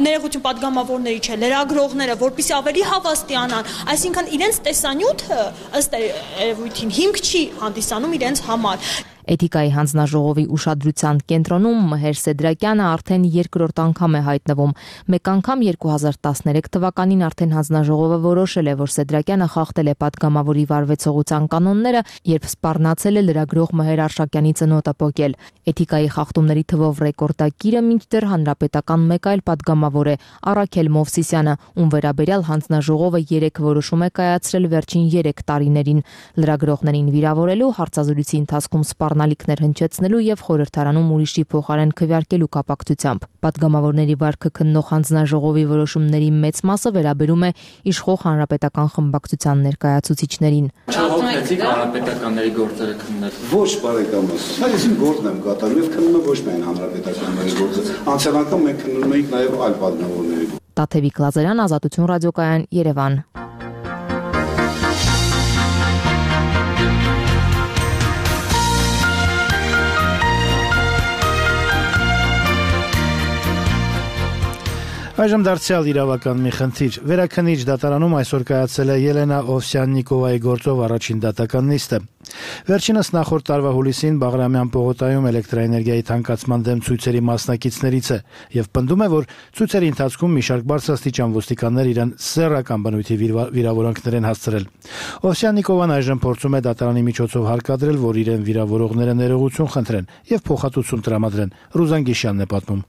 ներողություն падգամավորների չէ, լրագրողները, որպեսզի ավելի հավաստիանան, այսինքն իրենց տեսանյութը ըստ երևույթին հիմք չի հանդիսանում իրենց համար։ Էթիկայի հանձնաժողովի ուշադրության կենտրոնում Մհեր Սեդրակյանը արդեն երկրորդ անգամ է հայտնվում։ Մեկ անգամ 2013 թվականին արդեն հանձնաժողովը որոշել է, որ Սեդրակյանը խախտել է падգամավորի վարվեցողության կանոնները, երբ սպառնացել է լրագրող Մհեր Արշակյանի ծնոտը պոկել։ Էթիկայի խախտումների թվով ռեկորդակիրը մինչդեռ հանրապետական մեկ այլ падգամավոր է Առաքել Մովսիսյանը, ում վերաբերյալ հանձնաժողովը 3 որոշում է կայացրել վերջին 3 տարիներին։ Լրագրողներին վիրավորելու, հարցազրույցի ընթացքում սպառնալիքներ հնչեցնելու եւ խորհրդարանում ուրիշի փոխարեն քվեարկելու կապակցությամբ։ Պատգամավորների վարքը քննող հանձնաժողովի որոշումների մեծ մասը վերաբերում է իշխող հանրապետական խմբակցության ներկայացուցիչներին։ Չողոքեցիք հանրապետականների գործերը քննել։ Ոչ, բարեկամս, այս իմ գործն եմ կատարում եւ քննում եմ ոչ միայն հանրապետականների գործը։ Անցյալ անգամ մենք քննում էինք նաեւ այլ падգամավորների։ Տաթևիկ Լազարյան, Ազատություն ռադիոկայան, Երևան։ Այժմ դարձյալ իրավական մի խնդիր։ Վերաքննիչ դատարանում այսօր կայացել է Ելենա Օվսյան-Նիկովայի գործով առաջին դատական նիստը։ Վերջինս նախորդ տարվա հուլիսին Բաղրամյան պողոտայում էլեկտրաէներգիայի թանկացման դեմ ցույցերի մասնակիցներից է եւ պնդում է, որ ցույցերի ընթացքում մի շարք բարձրաստիճան ոստիկաններ իրեն սեռական բնույթի վիրավորանքներ են հասցրել։ Օվսյան-Նիկովան այժմ փորձում է դատարանի միջոցով հարկադրել, որ իրեն վիրավորողները ներողություն խնդրեն եւ փոխհատուցում տրամադրեն։ Ռուզան Գիշյանն է պատմում։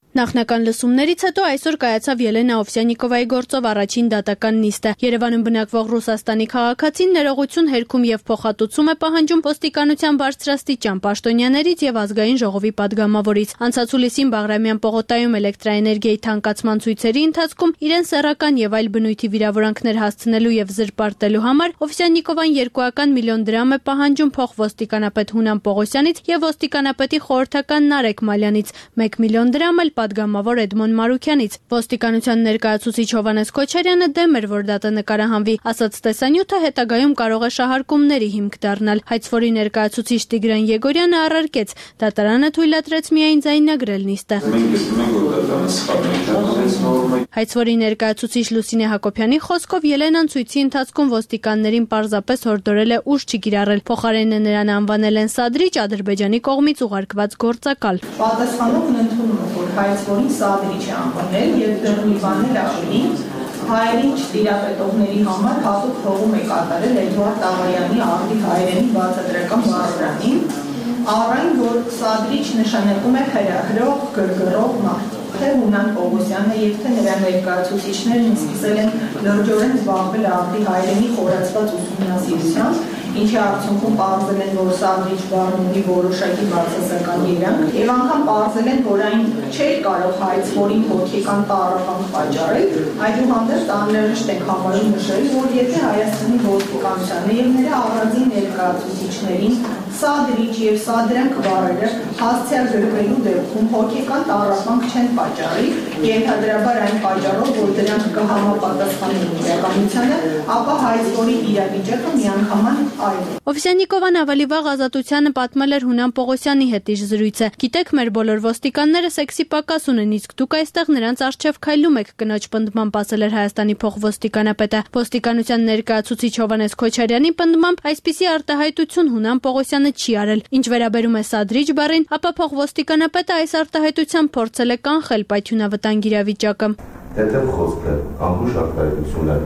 Նախնական լսումներից հետո այսօր կայացավ Ելենա Օվսյան-Նիկովայի գործով առաջին դատական նիստը։ Երևանում բնակվող Ռուսաստանի քաղաքացին ներողություն հերքում եւ փոխհատուցում է պահանջում ոստիկանության բարձրաստիճան պաշտոնյաներից եւ ազգային ժողովի падգամավորից։ Անցած հուլիսին Բաղրամյան պողոտայում էլեկտրաէներգիայի թանկացման ցույցերի ընթացքում իրեն սեռական եւ այլ բնույթի վիրավորանքներ հասցնելու եւ զրպարտելու համար Օվսյան-Նիկովան 2 միլիոն դրամ է պահանջում փոխ ոստիկանապետ Հունան Պողոսյանից եւ ոստիկանապետի խորհրդական Նարեկ Մալյանից 1 միլիոն դրամ էլ падգամավոր Էդմոն Մարուքյանից։ Ոստիկանության ներկայացուցիչ Հովանես Քոչարյանը դեմ էր, որ դատը նկարահանվի, ասաց տեսանյութը հետագայում կարող է շահարկումների հիմք դառնալ։ Հայցվորի ներկայացուցիչ Տիգրան Եգորյանը առարկեց, դատարանը թույլատրեց միայն ձայնագրել նիստը։ Հայցվորի ներկայացուցիչ Լուսինե Հակոբյանի խոսքով Ելենան ցույցի ընթացքում ոստիկաններին պարզապես հորդորել է ուժ չկիրառել, փոխարենը նրան անվանել են սադրիչ, Ադրբեջանի կողմից ուղարկված գործակալ։ Պատասխանողն ընդունում է, որ հայցվորին սադրիչ է անվանել եւ դեռ մի բաներ ավելի հայերին չտիրապետողների համար հատուկ հողում է կատարել Էդուարդ Աղայանի աղի հայերենի բացատրական բառարանին, առայն որ սադրիչ նշանակում է հրահրող, գրգռող մարդ։ Թե Հունան Պողոսյանը եւ թե նրա ներկայացուցիչներն սկսել են լրջորեն զբաղվել աղի հայերենի խորացված ուսումնասիրությամբ, ինչի արդյունքում պարզել են, որ սադրիչ բառն ունի որոշակի բացասական երանգ, եւ անգամ պարզել են, որ այն չէր կարող հայցվորին հոգեկան տառապանք պատճառել, այդուհանդերձ անհրաժեշտ ենք համարում նշել, որ եթե Հայաստանի ոստիկանությանը եւ նրա առանձին ներկայացուցիչներին սադրիչ եւ սադրանք բառերը հասցեալ գրվելու դեպքում հոգեկան տառապանք չեն պատճառի, ենթադրաբար այն պատճառով, որ դրանք կհամապատասխանեն իրականությանը, ապա հայցվորի իրավիճակը միանգամայն այլ է։ Օվսյանիկովան ավելի վաղ Ազատությանը պատմել էր Հունան Պողոսյանի հետ իր զրույցը։ Գիտեք, մեր բոլոր ոստիկանները սեքսի պակաս ունեն, իսկ դուք այստեղ նրանց առջև քայլում եք, կնոջ պնդմամբ ասել էր Հայաստանի փոխոստիկանապետը։ Ոստիկանության ներկայացուցիչ Հովհաննես Քոչարյանի պնդմամբ այսպիսի արտահայտություն Հունան Պողոսյանը չի արել։ Ինչ վերաբերում է սադրիչ բառին, ապա փոխոստիկանապետը այս արտահայտությամբ փորձել է կանխել պայթյունավտանգ իրավիճակը։ Թեթև խոսքը, անհուշ արտահայտություն է։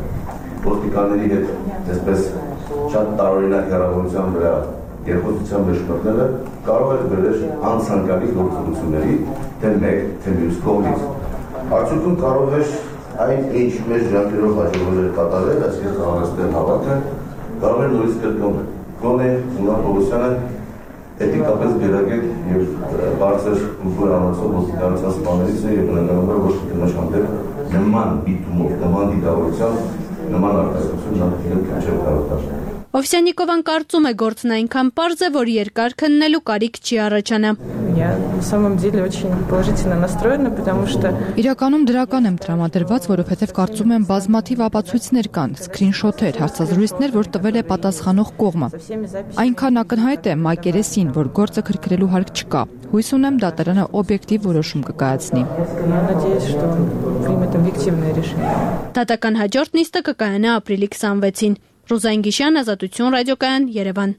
Ոստիկանների հետ այսպես շատ տարօրինակ հեռավորության վրա երկխոսության մեջ մտնելը կարող է բերել անցանկալի գործողությունների թե մեկ, թե մյուս կողմից։ Արդյունքում կարող է այն ինչ մեր ջանքերով հաջողվել է կատարել, այսինքն խաղաղացնել հավաքը, կարող է նորից կրկնվել։ Գոնե Հունան Պողոսյանը էթիկապես գերագետ եւ բարձր կուլտուրանոցով ոստիկանության սպաներից է եւ բնականաբար ոչ կնոջ հանդեպ նման դիտումով, նման դիտավորությամբ, նման արտահայտություն նա չէ կարող դարձնել։ Օվսյանիկովան կարծում է գործն այնքան պարզ է, որ երկար քննելու կարիք չի առաջանա։ Я на самом деле очень положительно настроена, потому что Իրականում դրական եմ տրամադրված, որովհետև կարծում եմ բազմաթիվ ապացույցներ կան, սկրինշոթեր, հարցազրույցներ, որ տվել է պատասխանող կողմը։ Այնքան ակնհայտ է մակերեսին, որ գործը քրքրելու հարկ չկա։ Հույս ունեմ դատարանը օբյեկտիվ որոշում կկայացնի։ надеюсь, что примет объективное решение։ Դատական հաջորդ նիստը կկայանա ապրիլի 26-ին։ Ռուզան Գիշյան, Ազատություն ռադիոկայան, Երևան։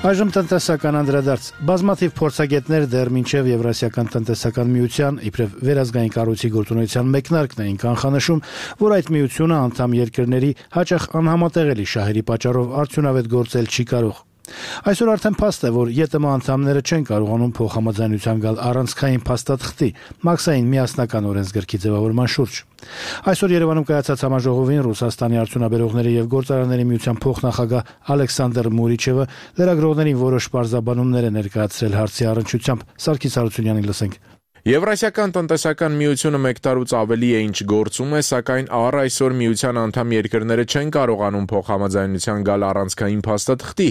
Այժմ տնտեսական անդրադարձ։ Բազմաթիվ փորձագետներ դեռ մինչև Եվրասիական տնտեսական միության իբրև վերազգային կառույցի գործունեության մեկնարկն էին կանխանշում, որ այդ միությունը անդամ երկրների հաճախ անհամատեղելի շահերի պատճառով արդյունավետ գործել չի կարող։ Այսօր արդեն փաստ է, որ ԵՏՄ անդամները չեն կարողանում փոխհամաձայնության գալ առանցքային փաստաթղթի մաքսային միասնական օրենսգրքի ձևավորման շուրջ։ Այսօր Երևանում կայացած համաժողովին Ռուսաստանի արդյունաբերողների եւ գործարանների միության փոխնախագահ Ալեքսանդր Մուրիչևը լրագրողներին որոշ պարզաբանումներ է ներկայացրել հարցի առնչությամբ։ Սարգիս Հարությունյանին լսենք։ Եվրասիական տնտեսական միությունը մեկ տարուց ավելի է ինչ գործում է, սակայն առ այսօր միության անդամ երկրները չեն կարողանում փոխհամաձայնության գալ առանցքային փաստաթղթի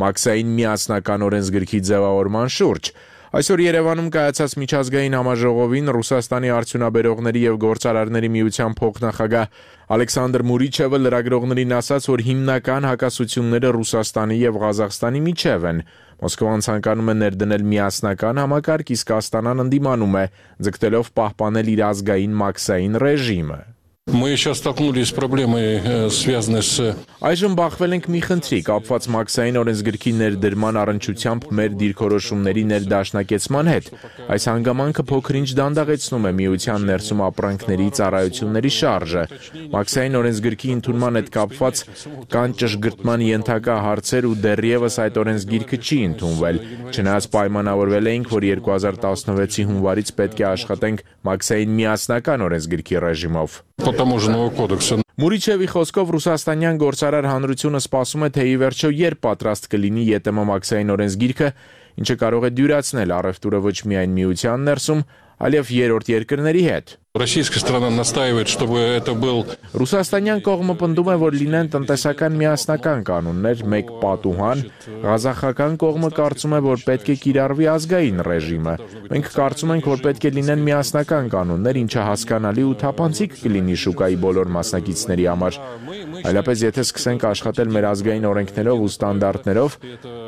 մաքսային միասնական օրենսգրքի ձևավորման շուրջ։ Այսօր Երևանում կայացած միջազգային համաժողովին Ռուսաստանի արդյունաբերողների եւ գործարարների միության փոխնախագահ Ալեքսանդր Մուրիչևը լրագրողներին ասաց, որ հիմնական հակասությունները Ռուսաստանի եւ Ղազախստանի միջև են։ Մոսկվան ցանկանում է ներդնել միասնական համակարգ, իսկ Աստանան ընդդիմանում է, ձգտելով պահպանել իր ազգային մաքսային ռեժիմը։ Мы сейчас столкнулись с проблемой, связанной с Այժմ բախվել ենք մի խնդրի կապված մաքսային օրենսգրքի ներդրման առնչությամբ մեր դիրքորոշումների ներդաշնակեցման հետ։ Այս հանգամանքը փոքր-ինչ դանդաղեցնում է միության ներսում ապրանքների ծառայությունների շարժը։ Մաքսային օրենսգրքի ընդունման հետ կապված կան ճշգրտման ենթակա հարցեր ու դեռևս այդ օրենսգիրքը չի ընդունվել։ Չնայած պայմանավորվել էինք, որ 2016-ի հունվարից պետք է աշխատենք մաքսային միասնական օրենսգրքի ռեժիմով։ Մուրիչևի խոսքով ռուսաստանյան գործարար հանրությունը սպասում է, թե ի վերջո երբ պատրաստ կլինի ԵՏՄ մաքսային օրենսգիրքը, ինչը կարող է դյուրացնել առևտուրը ոչ միայն միության ներսում, այլև երրորդ երկրների հետ։ Российская сторона настаивает, чтобы это был Ռուսաստանյան կողմը պնդում է, որ լինեն տնտեսական միասնական կանոններ, մեկ պատուհան, ղազախական կողմը կարծում է, որ պետք է կիրառվի ազգային ռեժիմը։ Մենք կարծում ենք, որ պետք է լինեն միասնական կանոններ, ինչը հասկանալի ու թափանցիկ կլինի շուկայի բոլոր մասնակիցների համար։ Այլապես եթե սկսենք աշխատել մեր ազգային օրենքներով ու ստանդարտներով,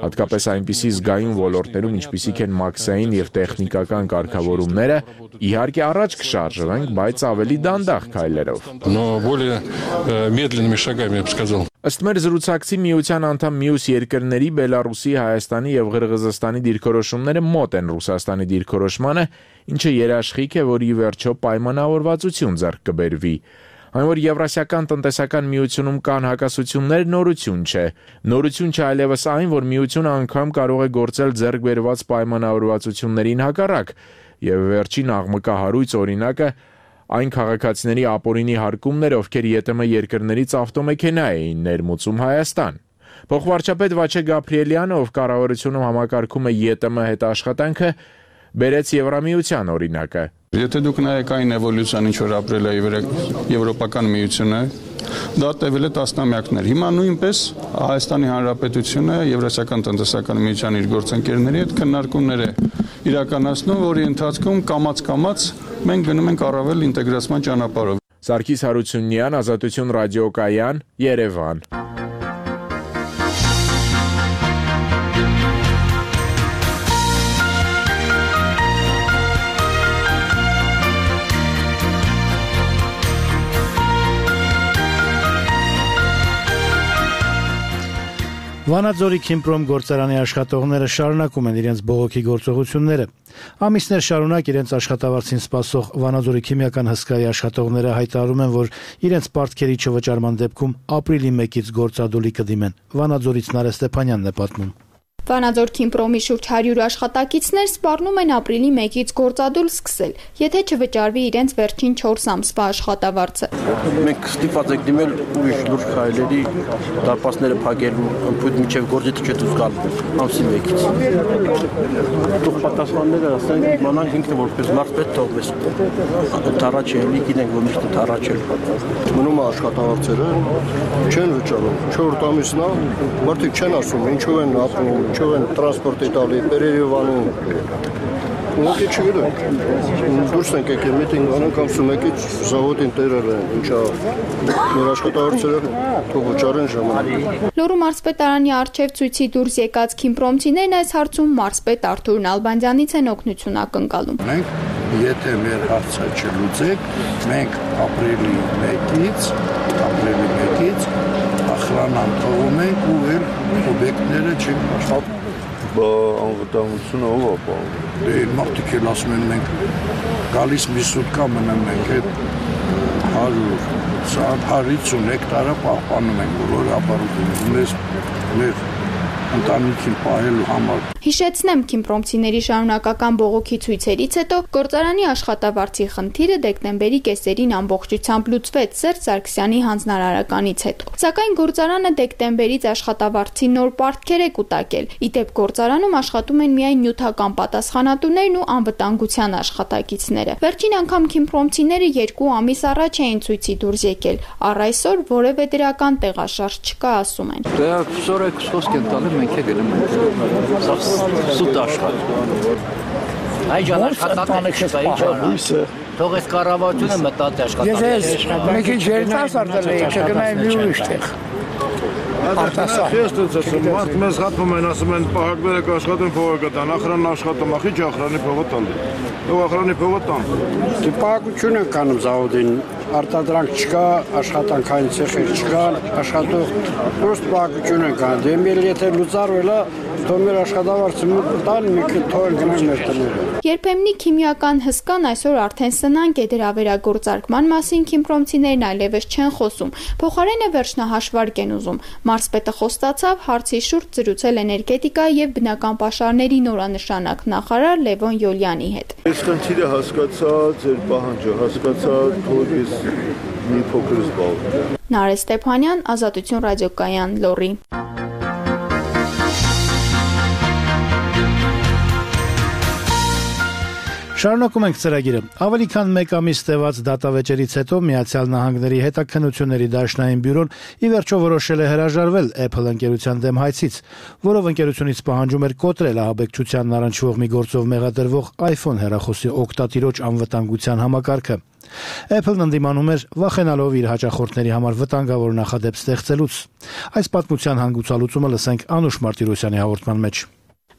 հատկապես այնպիսի զգայուն ոլորտներում, ինչպիսիք են մաքսային եւ տեխնիկական կարգավորումները, իհարկե առաջ կշարժվենք, բայց ավելի դանդաղ քայլերով։ Но более медленными шагами, я бы сказал։ Ըստ մեր զրուցակցի միության անդամ մյուս երկրների Բելարուսի, Հայաստանի եւ Ղրղզստանի դիրքորոշումները մոտ են Ռուսաստանի դիրքորոշմանը, ինչը երաշխիք է, որ ի վերջո պայմանավորվածություն ձեռք կբերվի։ Այն որ Եվրասիական տնտեսական միությունում կան հակասություններ, նորություն չէ։ Նորություն չէ այլևս այն, որ միությունը անգամ կարող է գործել ձեռք բերված պայմանավորվածություններին հակառակ, եւ վերջին աղմկահարույց օրինակը այն քաղաքացիների ապօրինի հարկումներ, ովքեր ԵՏՄ երկրներից ավտոմեքենա էին ներմուծում Հայաստան։ Փոխվարչապետ Վաչե Գաբրիելյանը, ով կառավարությունում համակարգում է ԵՏՄ հետ աշխատանքը, բերեց Եվրամիության օրինակը։ Եթե դուք նայեք այն էվոլյուցիան, ինչ որ ապրել է Եվրոպական միությունը, դա տևել է տասնամյակներ։ Հիմա նույնպես Հայաստանի Հանրապետությունը Եվրասիական տնտեսական միության իր գործընկերների հետ քննարկումներ է իրականացնում, որի ընթացքում կամաց-կամաց մենք գնում ենք առավել ինտեգրացման ճանապարհով։ Սարգիս Հարությունյան, Ազատություն ռադիոկայան, Երևան։ Վանաձորի Քիմպրոմ գործարանի աշխատողները շարունակում են իրենց բողոքի գործողությունները։ Ամիսներ շարունակ իրենց աշխատավարձին սպասող Վանաձորի քիմիական հսկայի աշխատողները հայտարարում են, որ իրենց պարտքերի չվճարման դեպքում ապրիլի 1-ից գործադուլի կդիմեն։ Վանաձորից Նարէ Ստեփանյանն է պատմում։ Վանաձոր Քիմպրոմի շուրջ 100 աշխատակիցներ սպառնում են ապրիլի 1-ից գործադուլ սկսել, եթե չվճարվի իրենց վերջին 4 ամսվա աշխատավարձը։ Մենք ստիպված ենք դիմել ուրիշ լուրջ քայլերի, դարպասները փակելու, ըմբույթ միջև գործիքը չդուրս գալ ամսի 1-ից։ Դուք պատասխանները ասենք իմանանք ինքն որպես մարդ թողվես։ Թարաչելի գիտենք, որ միշտ թարաչել։ Մնում է աշխատավարձերը չեն վճարում։ 4 ամիսն է, մարդիկ չեն ասում ինչով են ապրում, ինչով են տրանսպորտի տալի, Երևանում։ Ոնց չգիտեմ։ Դուրս ենք եկել միտինգ անենք ամսու 1-ից զավոդին տերել են, ինչա մեր աշխատավարձերը թող վճարեն ժամանակ։ Լոռու մարզպետարանի առջև ցույցի դուրս եկած քիմպրոմցիներն այս հարցում մարզպետ Արթուր Նալբանդյանից են օգնություն ակնկալում։ Մենք եթե մեր հարցը չլուծենք, մենք ապրիլի 1-ից ախրանան թողում ենք ու էլ օբյեկտները չենք աշխատում։ Բա անվտանգությունը ով է ապահովում։ Դե մարդիկ էլ ասում են մենք գալիս մի սուտկա մնամ մենք այդ 150 հեկտարը պահպանում ենք բոլոր ապարատուրը մեր ընտանիքին պահելու համար։ Հիշեցնեմ, քիմպրոմցիների շարունակական բողոքի ցույցերից հետո գործարանի աշխատավարձի խնդիրը դեկտեմբերի կեսերին ամբողջությամբ լուծվեց Սերժ Սարգսյանի հանձնարարականից հետո։ Սակայն գործարանը դեկտեմբերից աշխատավարձի նոր պարտքեր է կուտակել։ Իդեպ գործարանում աշխատում են միայն նյութական պատասխանատուներն ու անվտանգության աշխատակիցները։ Վերջին անգամ քիմպրոմցիները 2 ամիս առաջ էին ցույցի դուրս եկել։ Առ այսօր որևէ դրական տեղաշարժ չկա, ասում են։ Դե սորեք խոսք են տալի մենք է գնում ենք։ Սուտ աշխատ։ Այ ջան աշխատանք չկա, ինչ արա։ Թող այս կառավարությունը մտածի աշխատանքի։ Ես մեկի երիտասարդ եմ, չգնայեմ մի ուրիշ տեղ։ Ես դասում մարդ մեզ հատվում են, ասում են պահակները կաշխատեն փողը կտան, ախրանն աշխատում, ախի չի ախրանի փողը տալի։ Ով ախրանի փողը տան։ Դե պահակություն են կանում զավոդին, արտադրանք չկա, աշխատանքային ցեխեր չկան, աշխատող պրոստ պահակություն են կան։ Դե մեր եթե լուծարվել է, թող մեր աշխատավարձը տան, մենք թող գնանք մեր տները։ Երբեմնի քիմիական հսկան այսօր արդեն սնանկ է, դրա վերագործարկման մասին քիմպրոմցիներն այլևս չեն խոսում։ Փոխարենը վերջնահաշվարկ են ուզում։ Մարզպետը խոստացավ հարցի շուրջ զրուցել էներգետիկա եւ բնական պաշարների նորանշանակ նախարար Լևոն Յոլյանի հետ։ Ես խնդիրը հասկացա, ձեր պահանջը հասկացա, թող ես մի փոքր զբաղվեմ։ Նարէ Ստեփանյան, Ազատություն ռադիոկայան, Լոռի։ Շարունակում ենք ծրագիրը։ Ավելի քան 1 ամիս տևած դատավեճերից հետո Միացյալ Նահանգների հետաքննությունների դաշնային բյուրոն ի վերջո որոշել է հրաժարվել Apple ընկերության դեմ հայցից, որով ընկերությունից պահանջում էր կոտրել ահաբեկչությանն առնչվող մի գործով մեղադրվող iPhone հեռախոսի օգտատիրոջ անվտանգության համակարգը։ Apple-ն ընդդիմանում էր, վախենալով իր հաճախորդների համար վտանգավոր նախադեպ ստեղծելուց։ Այս պատմության հանգուցալուծումը լսենք Անուշ Մարտիրոսյանի հաղորդման մեջ։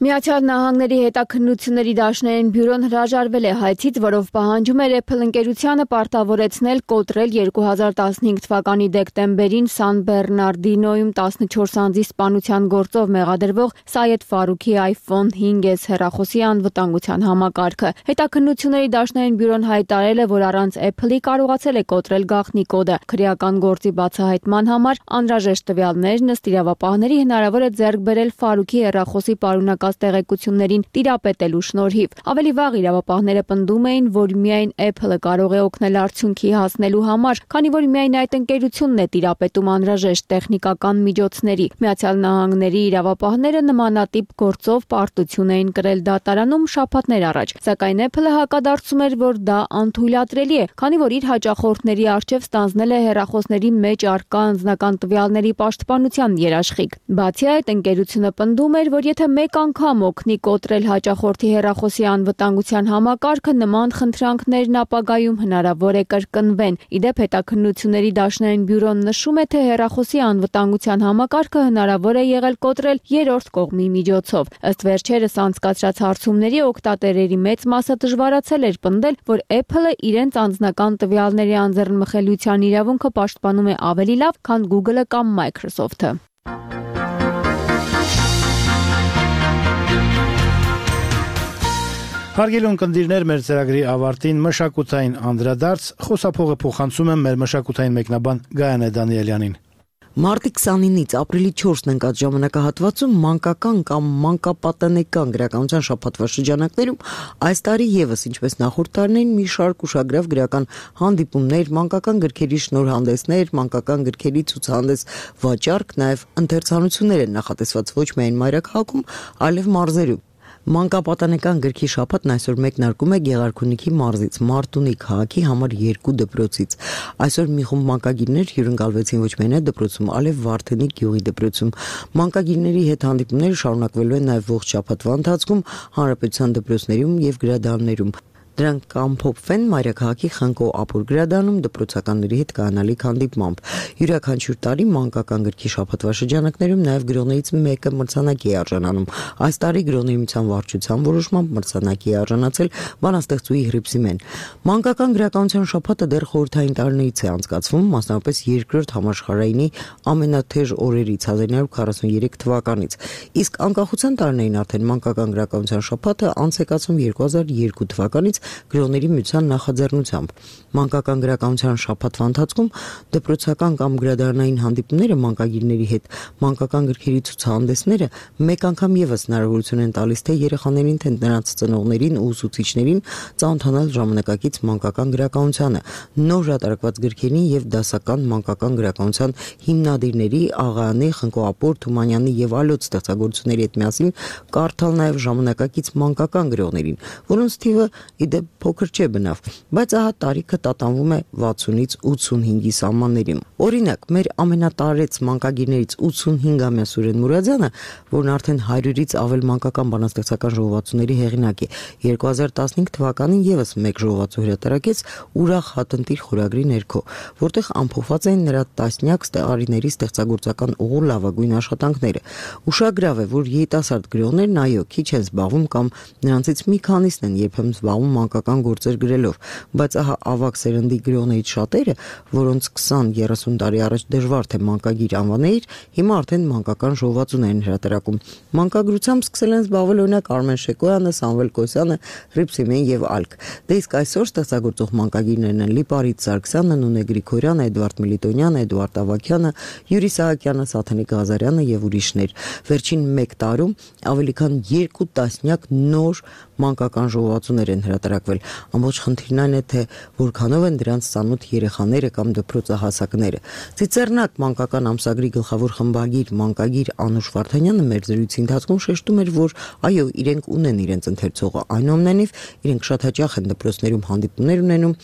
Միացյալ Նահանգների հետաքննությունների դաշնային բյուրոն հրաժարվել է հայցից, որով պահանջում էր Apple ընկերությանը պարտավորեցնել կոտրել 2015 թվականի դեկտեմբերին Սան Բեռնարդինոյում 14 անձի սպանության գործով մեղադրվող Սայեդ Ֆարուքի iPhone 5S հեռախոսի անվտանգության համակարգը։ Հետաքննությունների դաշնային բյուրոն հայտարարել է, որ առանց Apple-ի կարողացել է կոտրել գաղտնի կոդը։ Քրեական գործի բացահայտման համար անհրաժեշտ տվյալներն ըստ իրավապահների հնարավոր է ձեռք բերել Ֆարուքի հեռախոսի պարունակած տեղեկություններին տիրապետելու շնորհիվ։ Ավելի վաղ իրավապահները պնդում էին, որ միայն Apple-ը կարող է օգնել արդյունքի հասնելու համար, քանի որ միայն այդ ընկերությունն է տիրապետում անհրաժեշտ տեխնիկական միջոցների։ Միացյալ Նահանգների իրավապահները նմանատիպ գործով պարտություն էին կրել դատարանում շաբաթներ առաջ, սակայն Apple-ը հակադարձում էր, որ դա անթույլատրելի է, քանի որ իր հաճախորդների առջև ստանձնել է հեռախոսների մեջ առկա անձնական տվյալների պաշտպանության երաշխիք։ Բացի այդ, ընկերությունը պնդում էր, որ եթե մեկ անգամ օգնի կոտրել հաճախորդի հեռախոսի անվտանգության համակարգը, նման խնդրանքներն ապագայում հնարավոր է կրկնվեն։ Իդեպ հետաքննությունների դաշնային բյուրոն նշում է, թե հեռախոսի անվտանգության համակարգը հնարավոր է եղել կոտրել երրորդ կողմի միջոցով։ Ըստ վերջերս անցկացրած հարցումների օգտատերերի մեծ մասը դժվարացել էր պնդել, որ Apple-ը իրենց անձնական տվյալների անձեռնմխելիության իրավունքը պաշտպանում է ավելի լավ, քան Google-ը կամ Microsoft-ը։ Հարգելի ունկնդիրներ, մեր ծրագրի ավարտին մշակութային անդրադարձ, խոսափողը փոխանցում եմ մեր մշակութային մեկնաբան Գայանե Դանիելյանին։ Մարտի 29-ից ապրիլի 4-ն ընկած ժամանակահատվածում մանկական կամ մանկապատանեկան գրականության շաբաթվա շրջանակներում այս տարի եւս ինչպես նախորդ տարիներին մի շարք ուշագրավ գրական հանդիպումներ, մանկական գրքերի շնորհանդեսներ, մանկական գրքերի ցուցահանդես վաճառք, նաեւ ընթերցանություններ են նախատեսված ոչ միայն մայրաքաղաքում, այլև մարզերում։ Մանկապատանեկան գրքի շաբաթն այսօր մեկնարկում է Գեղարքունիքի մարզից, Մարտունի քաղաքի համար 2 դպրոցից։ Այսօր մի խումբ մանկագիրներ հյուրընկալվեցին ոչ միայն այդ դպրոցում, այլև Վարդենի գյուղի դպրոցում։ Մանկագիրների հետ հանդիպումները շարունակվելու են նաև ողջ շաբաթվա ընթացքում հանրապետության դպրոցներում եւ գրադարաններում։ Դրանք կամփոփվեն Մայրաքաղաքի Խնկո Ապուր գրադարանում դպրոցականների հետ կանալիք հանդիպմամբ։ Յուրաքանչյուր տարի մանկական գրքի շաբաթվա շրջանակներում նաև գրողներից մեկը մրցանակի է արժանանում։ Այս տարի գրողների միության վարչության որոշմամբ մրցանակի է արժանացել բանաստեղծուհի Հռիփսիմեն։ Մանկական գրականության շաբաթը դեռ խորհրդային տարիներից է անցկացվում, մասնավորապես երկրորդ համաշխարհայինի ամենաթեժ օրերից 1943 թվականից։ Իսկ անկախության տարիներին արդեն մանկական գրականության շաբաթը անց է կացվում 2002 թվականից գրողների միության նախաձեռնությամբ։ Մանկական գրականության շաբաթվա ընթացքում դպրոցական կամ գրադարանային հանդիպումները մանկագիրների հետ, մանկական գրքերի ցուցահանդեսները մեկ անգամ եւս հնարավորություն են տալիս թե երեխաներին, թե նրանց ծնողներին ու ուսուցիչներին ծանոթանալ ժամանակակից մանկական գրականությանը, նոր հրատարակված գրքերին եւ դասական մանկական գրականության հիմնադիրների Աղայանի, Խնկո Ապոր, Թումանյանի եւ այլոց ստեղծագործությունների հետ միասին կարդալ նաեւ ժամանակակից մանկական գրողներին, որոնց թիվը իդեպ փոքր չէ բնավ, բայց ահա տարիքը տատանվում է 60-ից 85-ի սահմաններում։ Օրինակ, մեր ամենատարեց մանկագիրներից 85-ամյա Սուրեն Մուրադյանը, որն արդեն 100-ից ավել մանկական բանաստեղծական ժողովածուների հեղինակ է, 2015 թվականին եւս մեկ ժողովածու հրատարակեց Ուրախ հատնտիր խորագրի ներքո, որտեղ ամփոփված են նրա տասնյակ տարիների ստեղծագործական ուղու լավագույն աշխատանքները։ Ուշագրավ է, որ երիտասարդ գրողներն այո, քիչ են զբաղվում կամ նրանցից մի քանիսն են երբեմն զբաղվում մանկական գործեր գրելով, բայց ահա ավագ սերնդի գրողներից շատերը, որոնց 20-30 տարի առաջ դժվար թե մանկագիր անվաներ, հիմա արդեն մանկական ժողովածուներ են հրատարակում։ Մանկագրությամբ սկսել են զբաղվել օրինակ Արմեն Շեկոյանը, Սամվել Կոսյանը, Հռիփսիմեն եւ այլք։ Դե իսկ այսօր ստեղծագործող մանկագիրներն են Լիպարիտ Սարգսյանը, Նունե Գրիգորյանը, Էդվարդ Միլիտոնյանը, Էդուարդ Ավագյանը, Յուրի Սահակյանը, Սաթենիկ Ղազարյանը եւ ուրիշներ։ Վերջին 1 տարում ավելի քան 2 տասնյակ նոր մանկական ժողովածուներ են հրատարակվել։ Ամբողջ խնդիրն այն է, թե որքանով են դրանց ծանոթ երեխաները կամ դպրոցահասակները։ Ծիծեռնակ մանկական ամսագրի գլխավոր խմբագիր մանկագիր Անուշ Վարդանյանը մեր զրույցի ընթացքում շեշտում էր, որ այո, իրենք ունեն իրենց ընթերցողը, այնուամենայնիվ իրենք շատ հաճախ են դպրոցներում հանդիպումներ ունենում,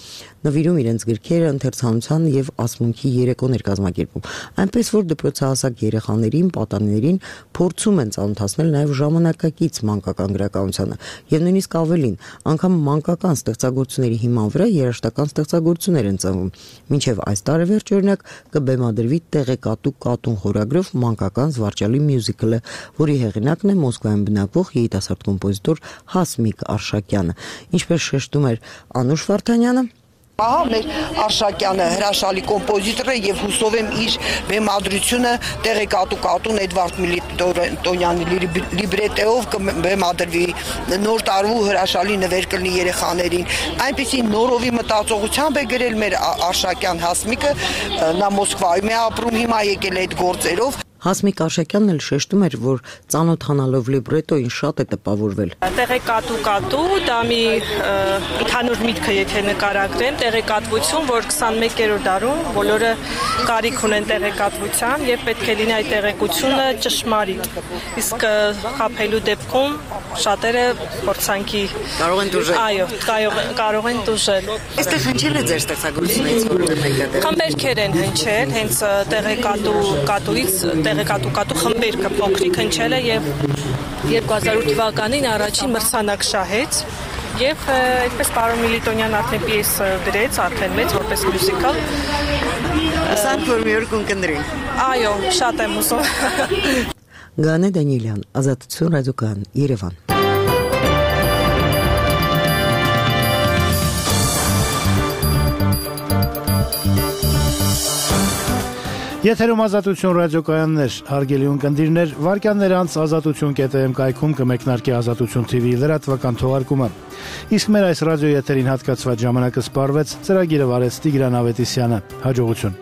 նվիրում իրենց գրքերը ընթերցանության եւ ասմունքի երեկոներ կազմակերպում։ Այնպես որ դպրոցահասակ երեխաներին, պատանիներին փորձում են ծանոթացնել նաեւ ժամանակակից մանկական գրականությանը եւ նույնիսկ ավելին, անգամ մանկական ստեղծագործությունների հիման վրա երաժշտական ստեղծագործություններ են ծնվում։ Մինչև այս տարեվերջ օրինակ կբեմադրվի տեղեկատու կատուն խորագրով մանկական զվարճալի մյուզիկլը, որի հեղինակն է Մոսկվայում բնակվող երիտասարդ կոմպոզիտոր Հասմիկ Արշակյանը։ Ինչպես շեշտում էր Անուշ Վարդանյանը, Ահա մեր Արշակյանը հրաշալի կոմպոզիտոր է եւ հուսով եմ իր բեմադրությունը տեղեկատու կատուն Էդվարդ Միլիտոնյանի լիբրետեով կբեմադրվի, նոր տարվու հրաշալի նվեր կլինի երեխաներին։ Այնպիսի նորովի մտածողությամբ է գրել մեր Արշակյան Հասմիկը, նա Մոսկվայում է ապրում, հիմա եկել է այդ գործերով։ Հասմիկ Արշակյանն էլ շեշտում էր, որ ծանոթանալով լիբրետոին շատ է տպավորվել։ Տեղեկատու դա մի ընդհանուր միտքը եթե նկարագրեմ, տեղեկատվություն, որ 21-րդ դարում բոլորը կարիք ունեն տեղեկատվության եւ պետք է լինի այդ տեղեկությունը ճշմարիտ։ Իսկ խաբելու դեպքում շատերը փորձանքի կարող են դուժել։ Այո, կարող են դուժել։ Այստեղ հնչել է ձեր ստեղծագործությունից, որը մեկատեղ։ Խմբերքեր են հնչել, հենց տեղեկատուից տեղեկատու խմբերքը փոքրիկ հնչել է եւ 2008 թվականին առաջին մրցանակ շահեց եւ այդպես պարոն Միլիտոնյան արդեն պիես գրեց, արդեն մեծ որպես մյուզիկալ։ Ասանք որ մի օր կընկերին։ Այո, շատ եմ ուզում։ Գանե Դանիելյան, Ազատություն ռադիոկայան, Երևան։ Եթերում Ազատություն ռադիոկայաններ, հարգելի ունկնդիրներ, վարքյաններ անց ազատություն.am կայքում կմեկնարկի Ազատություն TV լրատվական թողարկումը։ Իսկ մեր այս ռադիո եթերին հատկացված ժամանակը սպառվեց, ծրագիրը վարեց Տիգրան Ավետիսյանը։ Հաջողություն։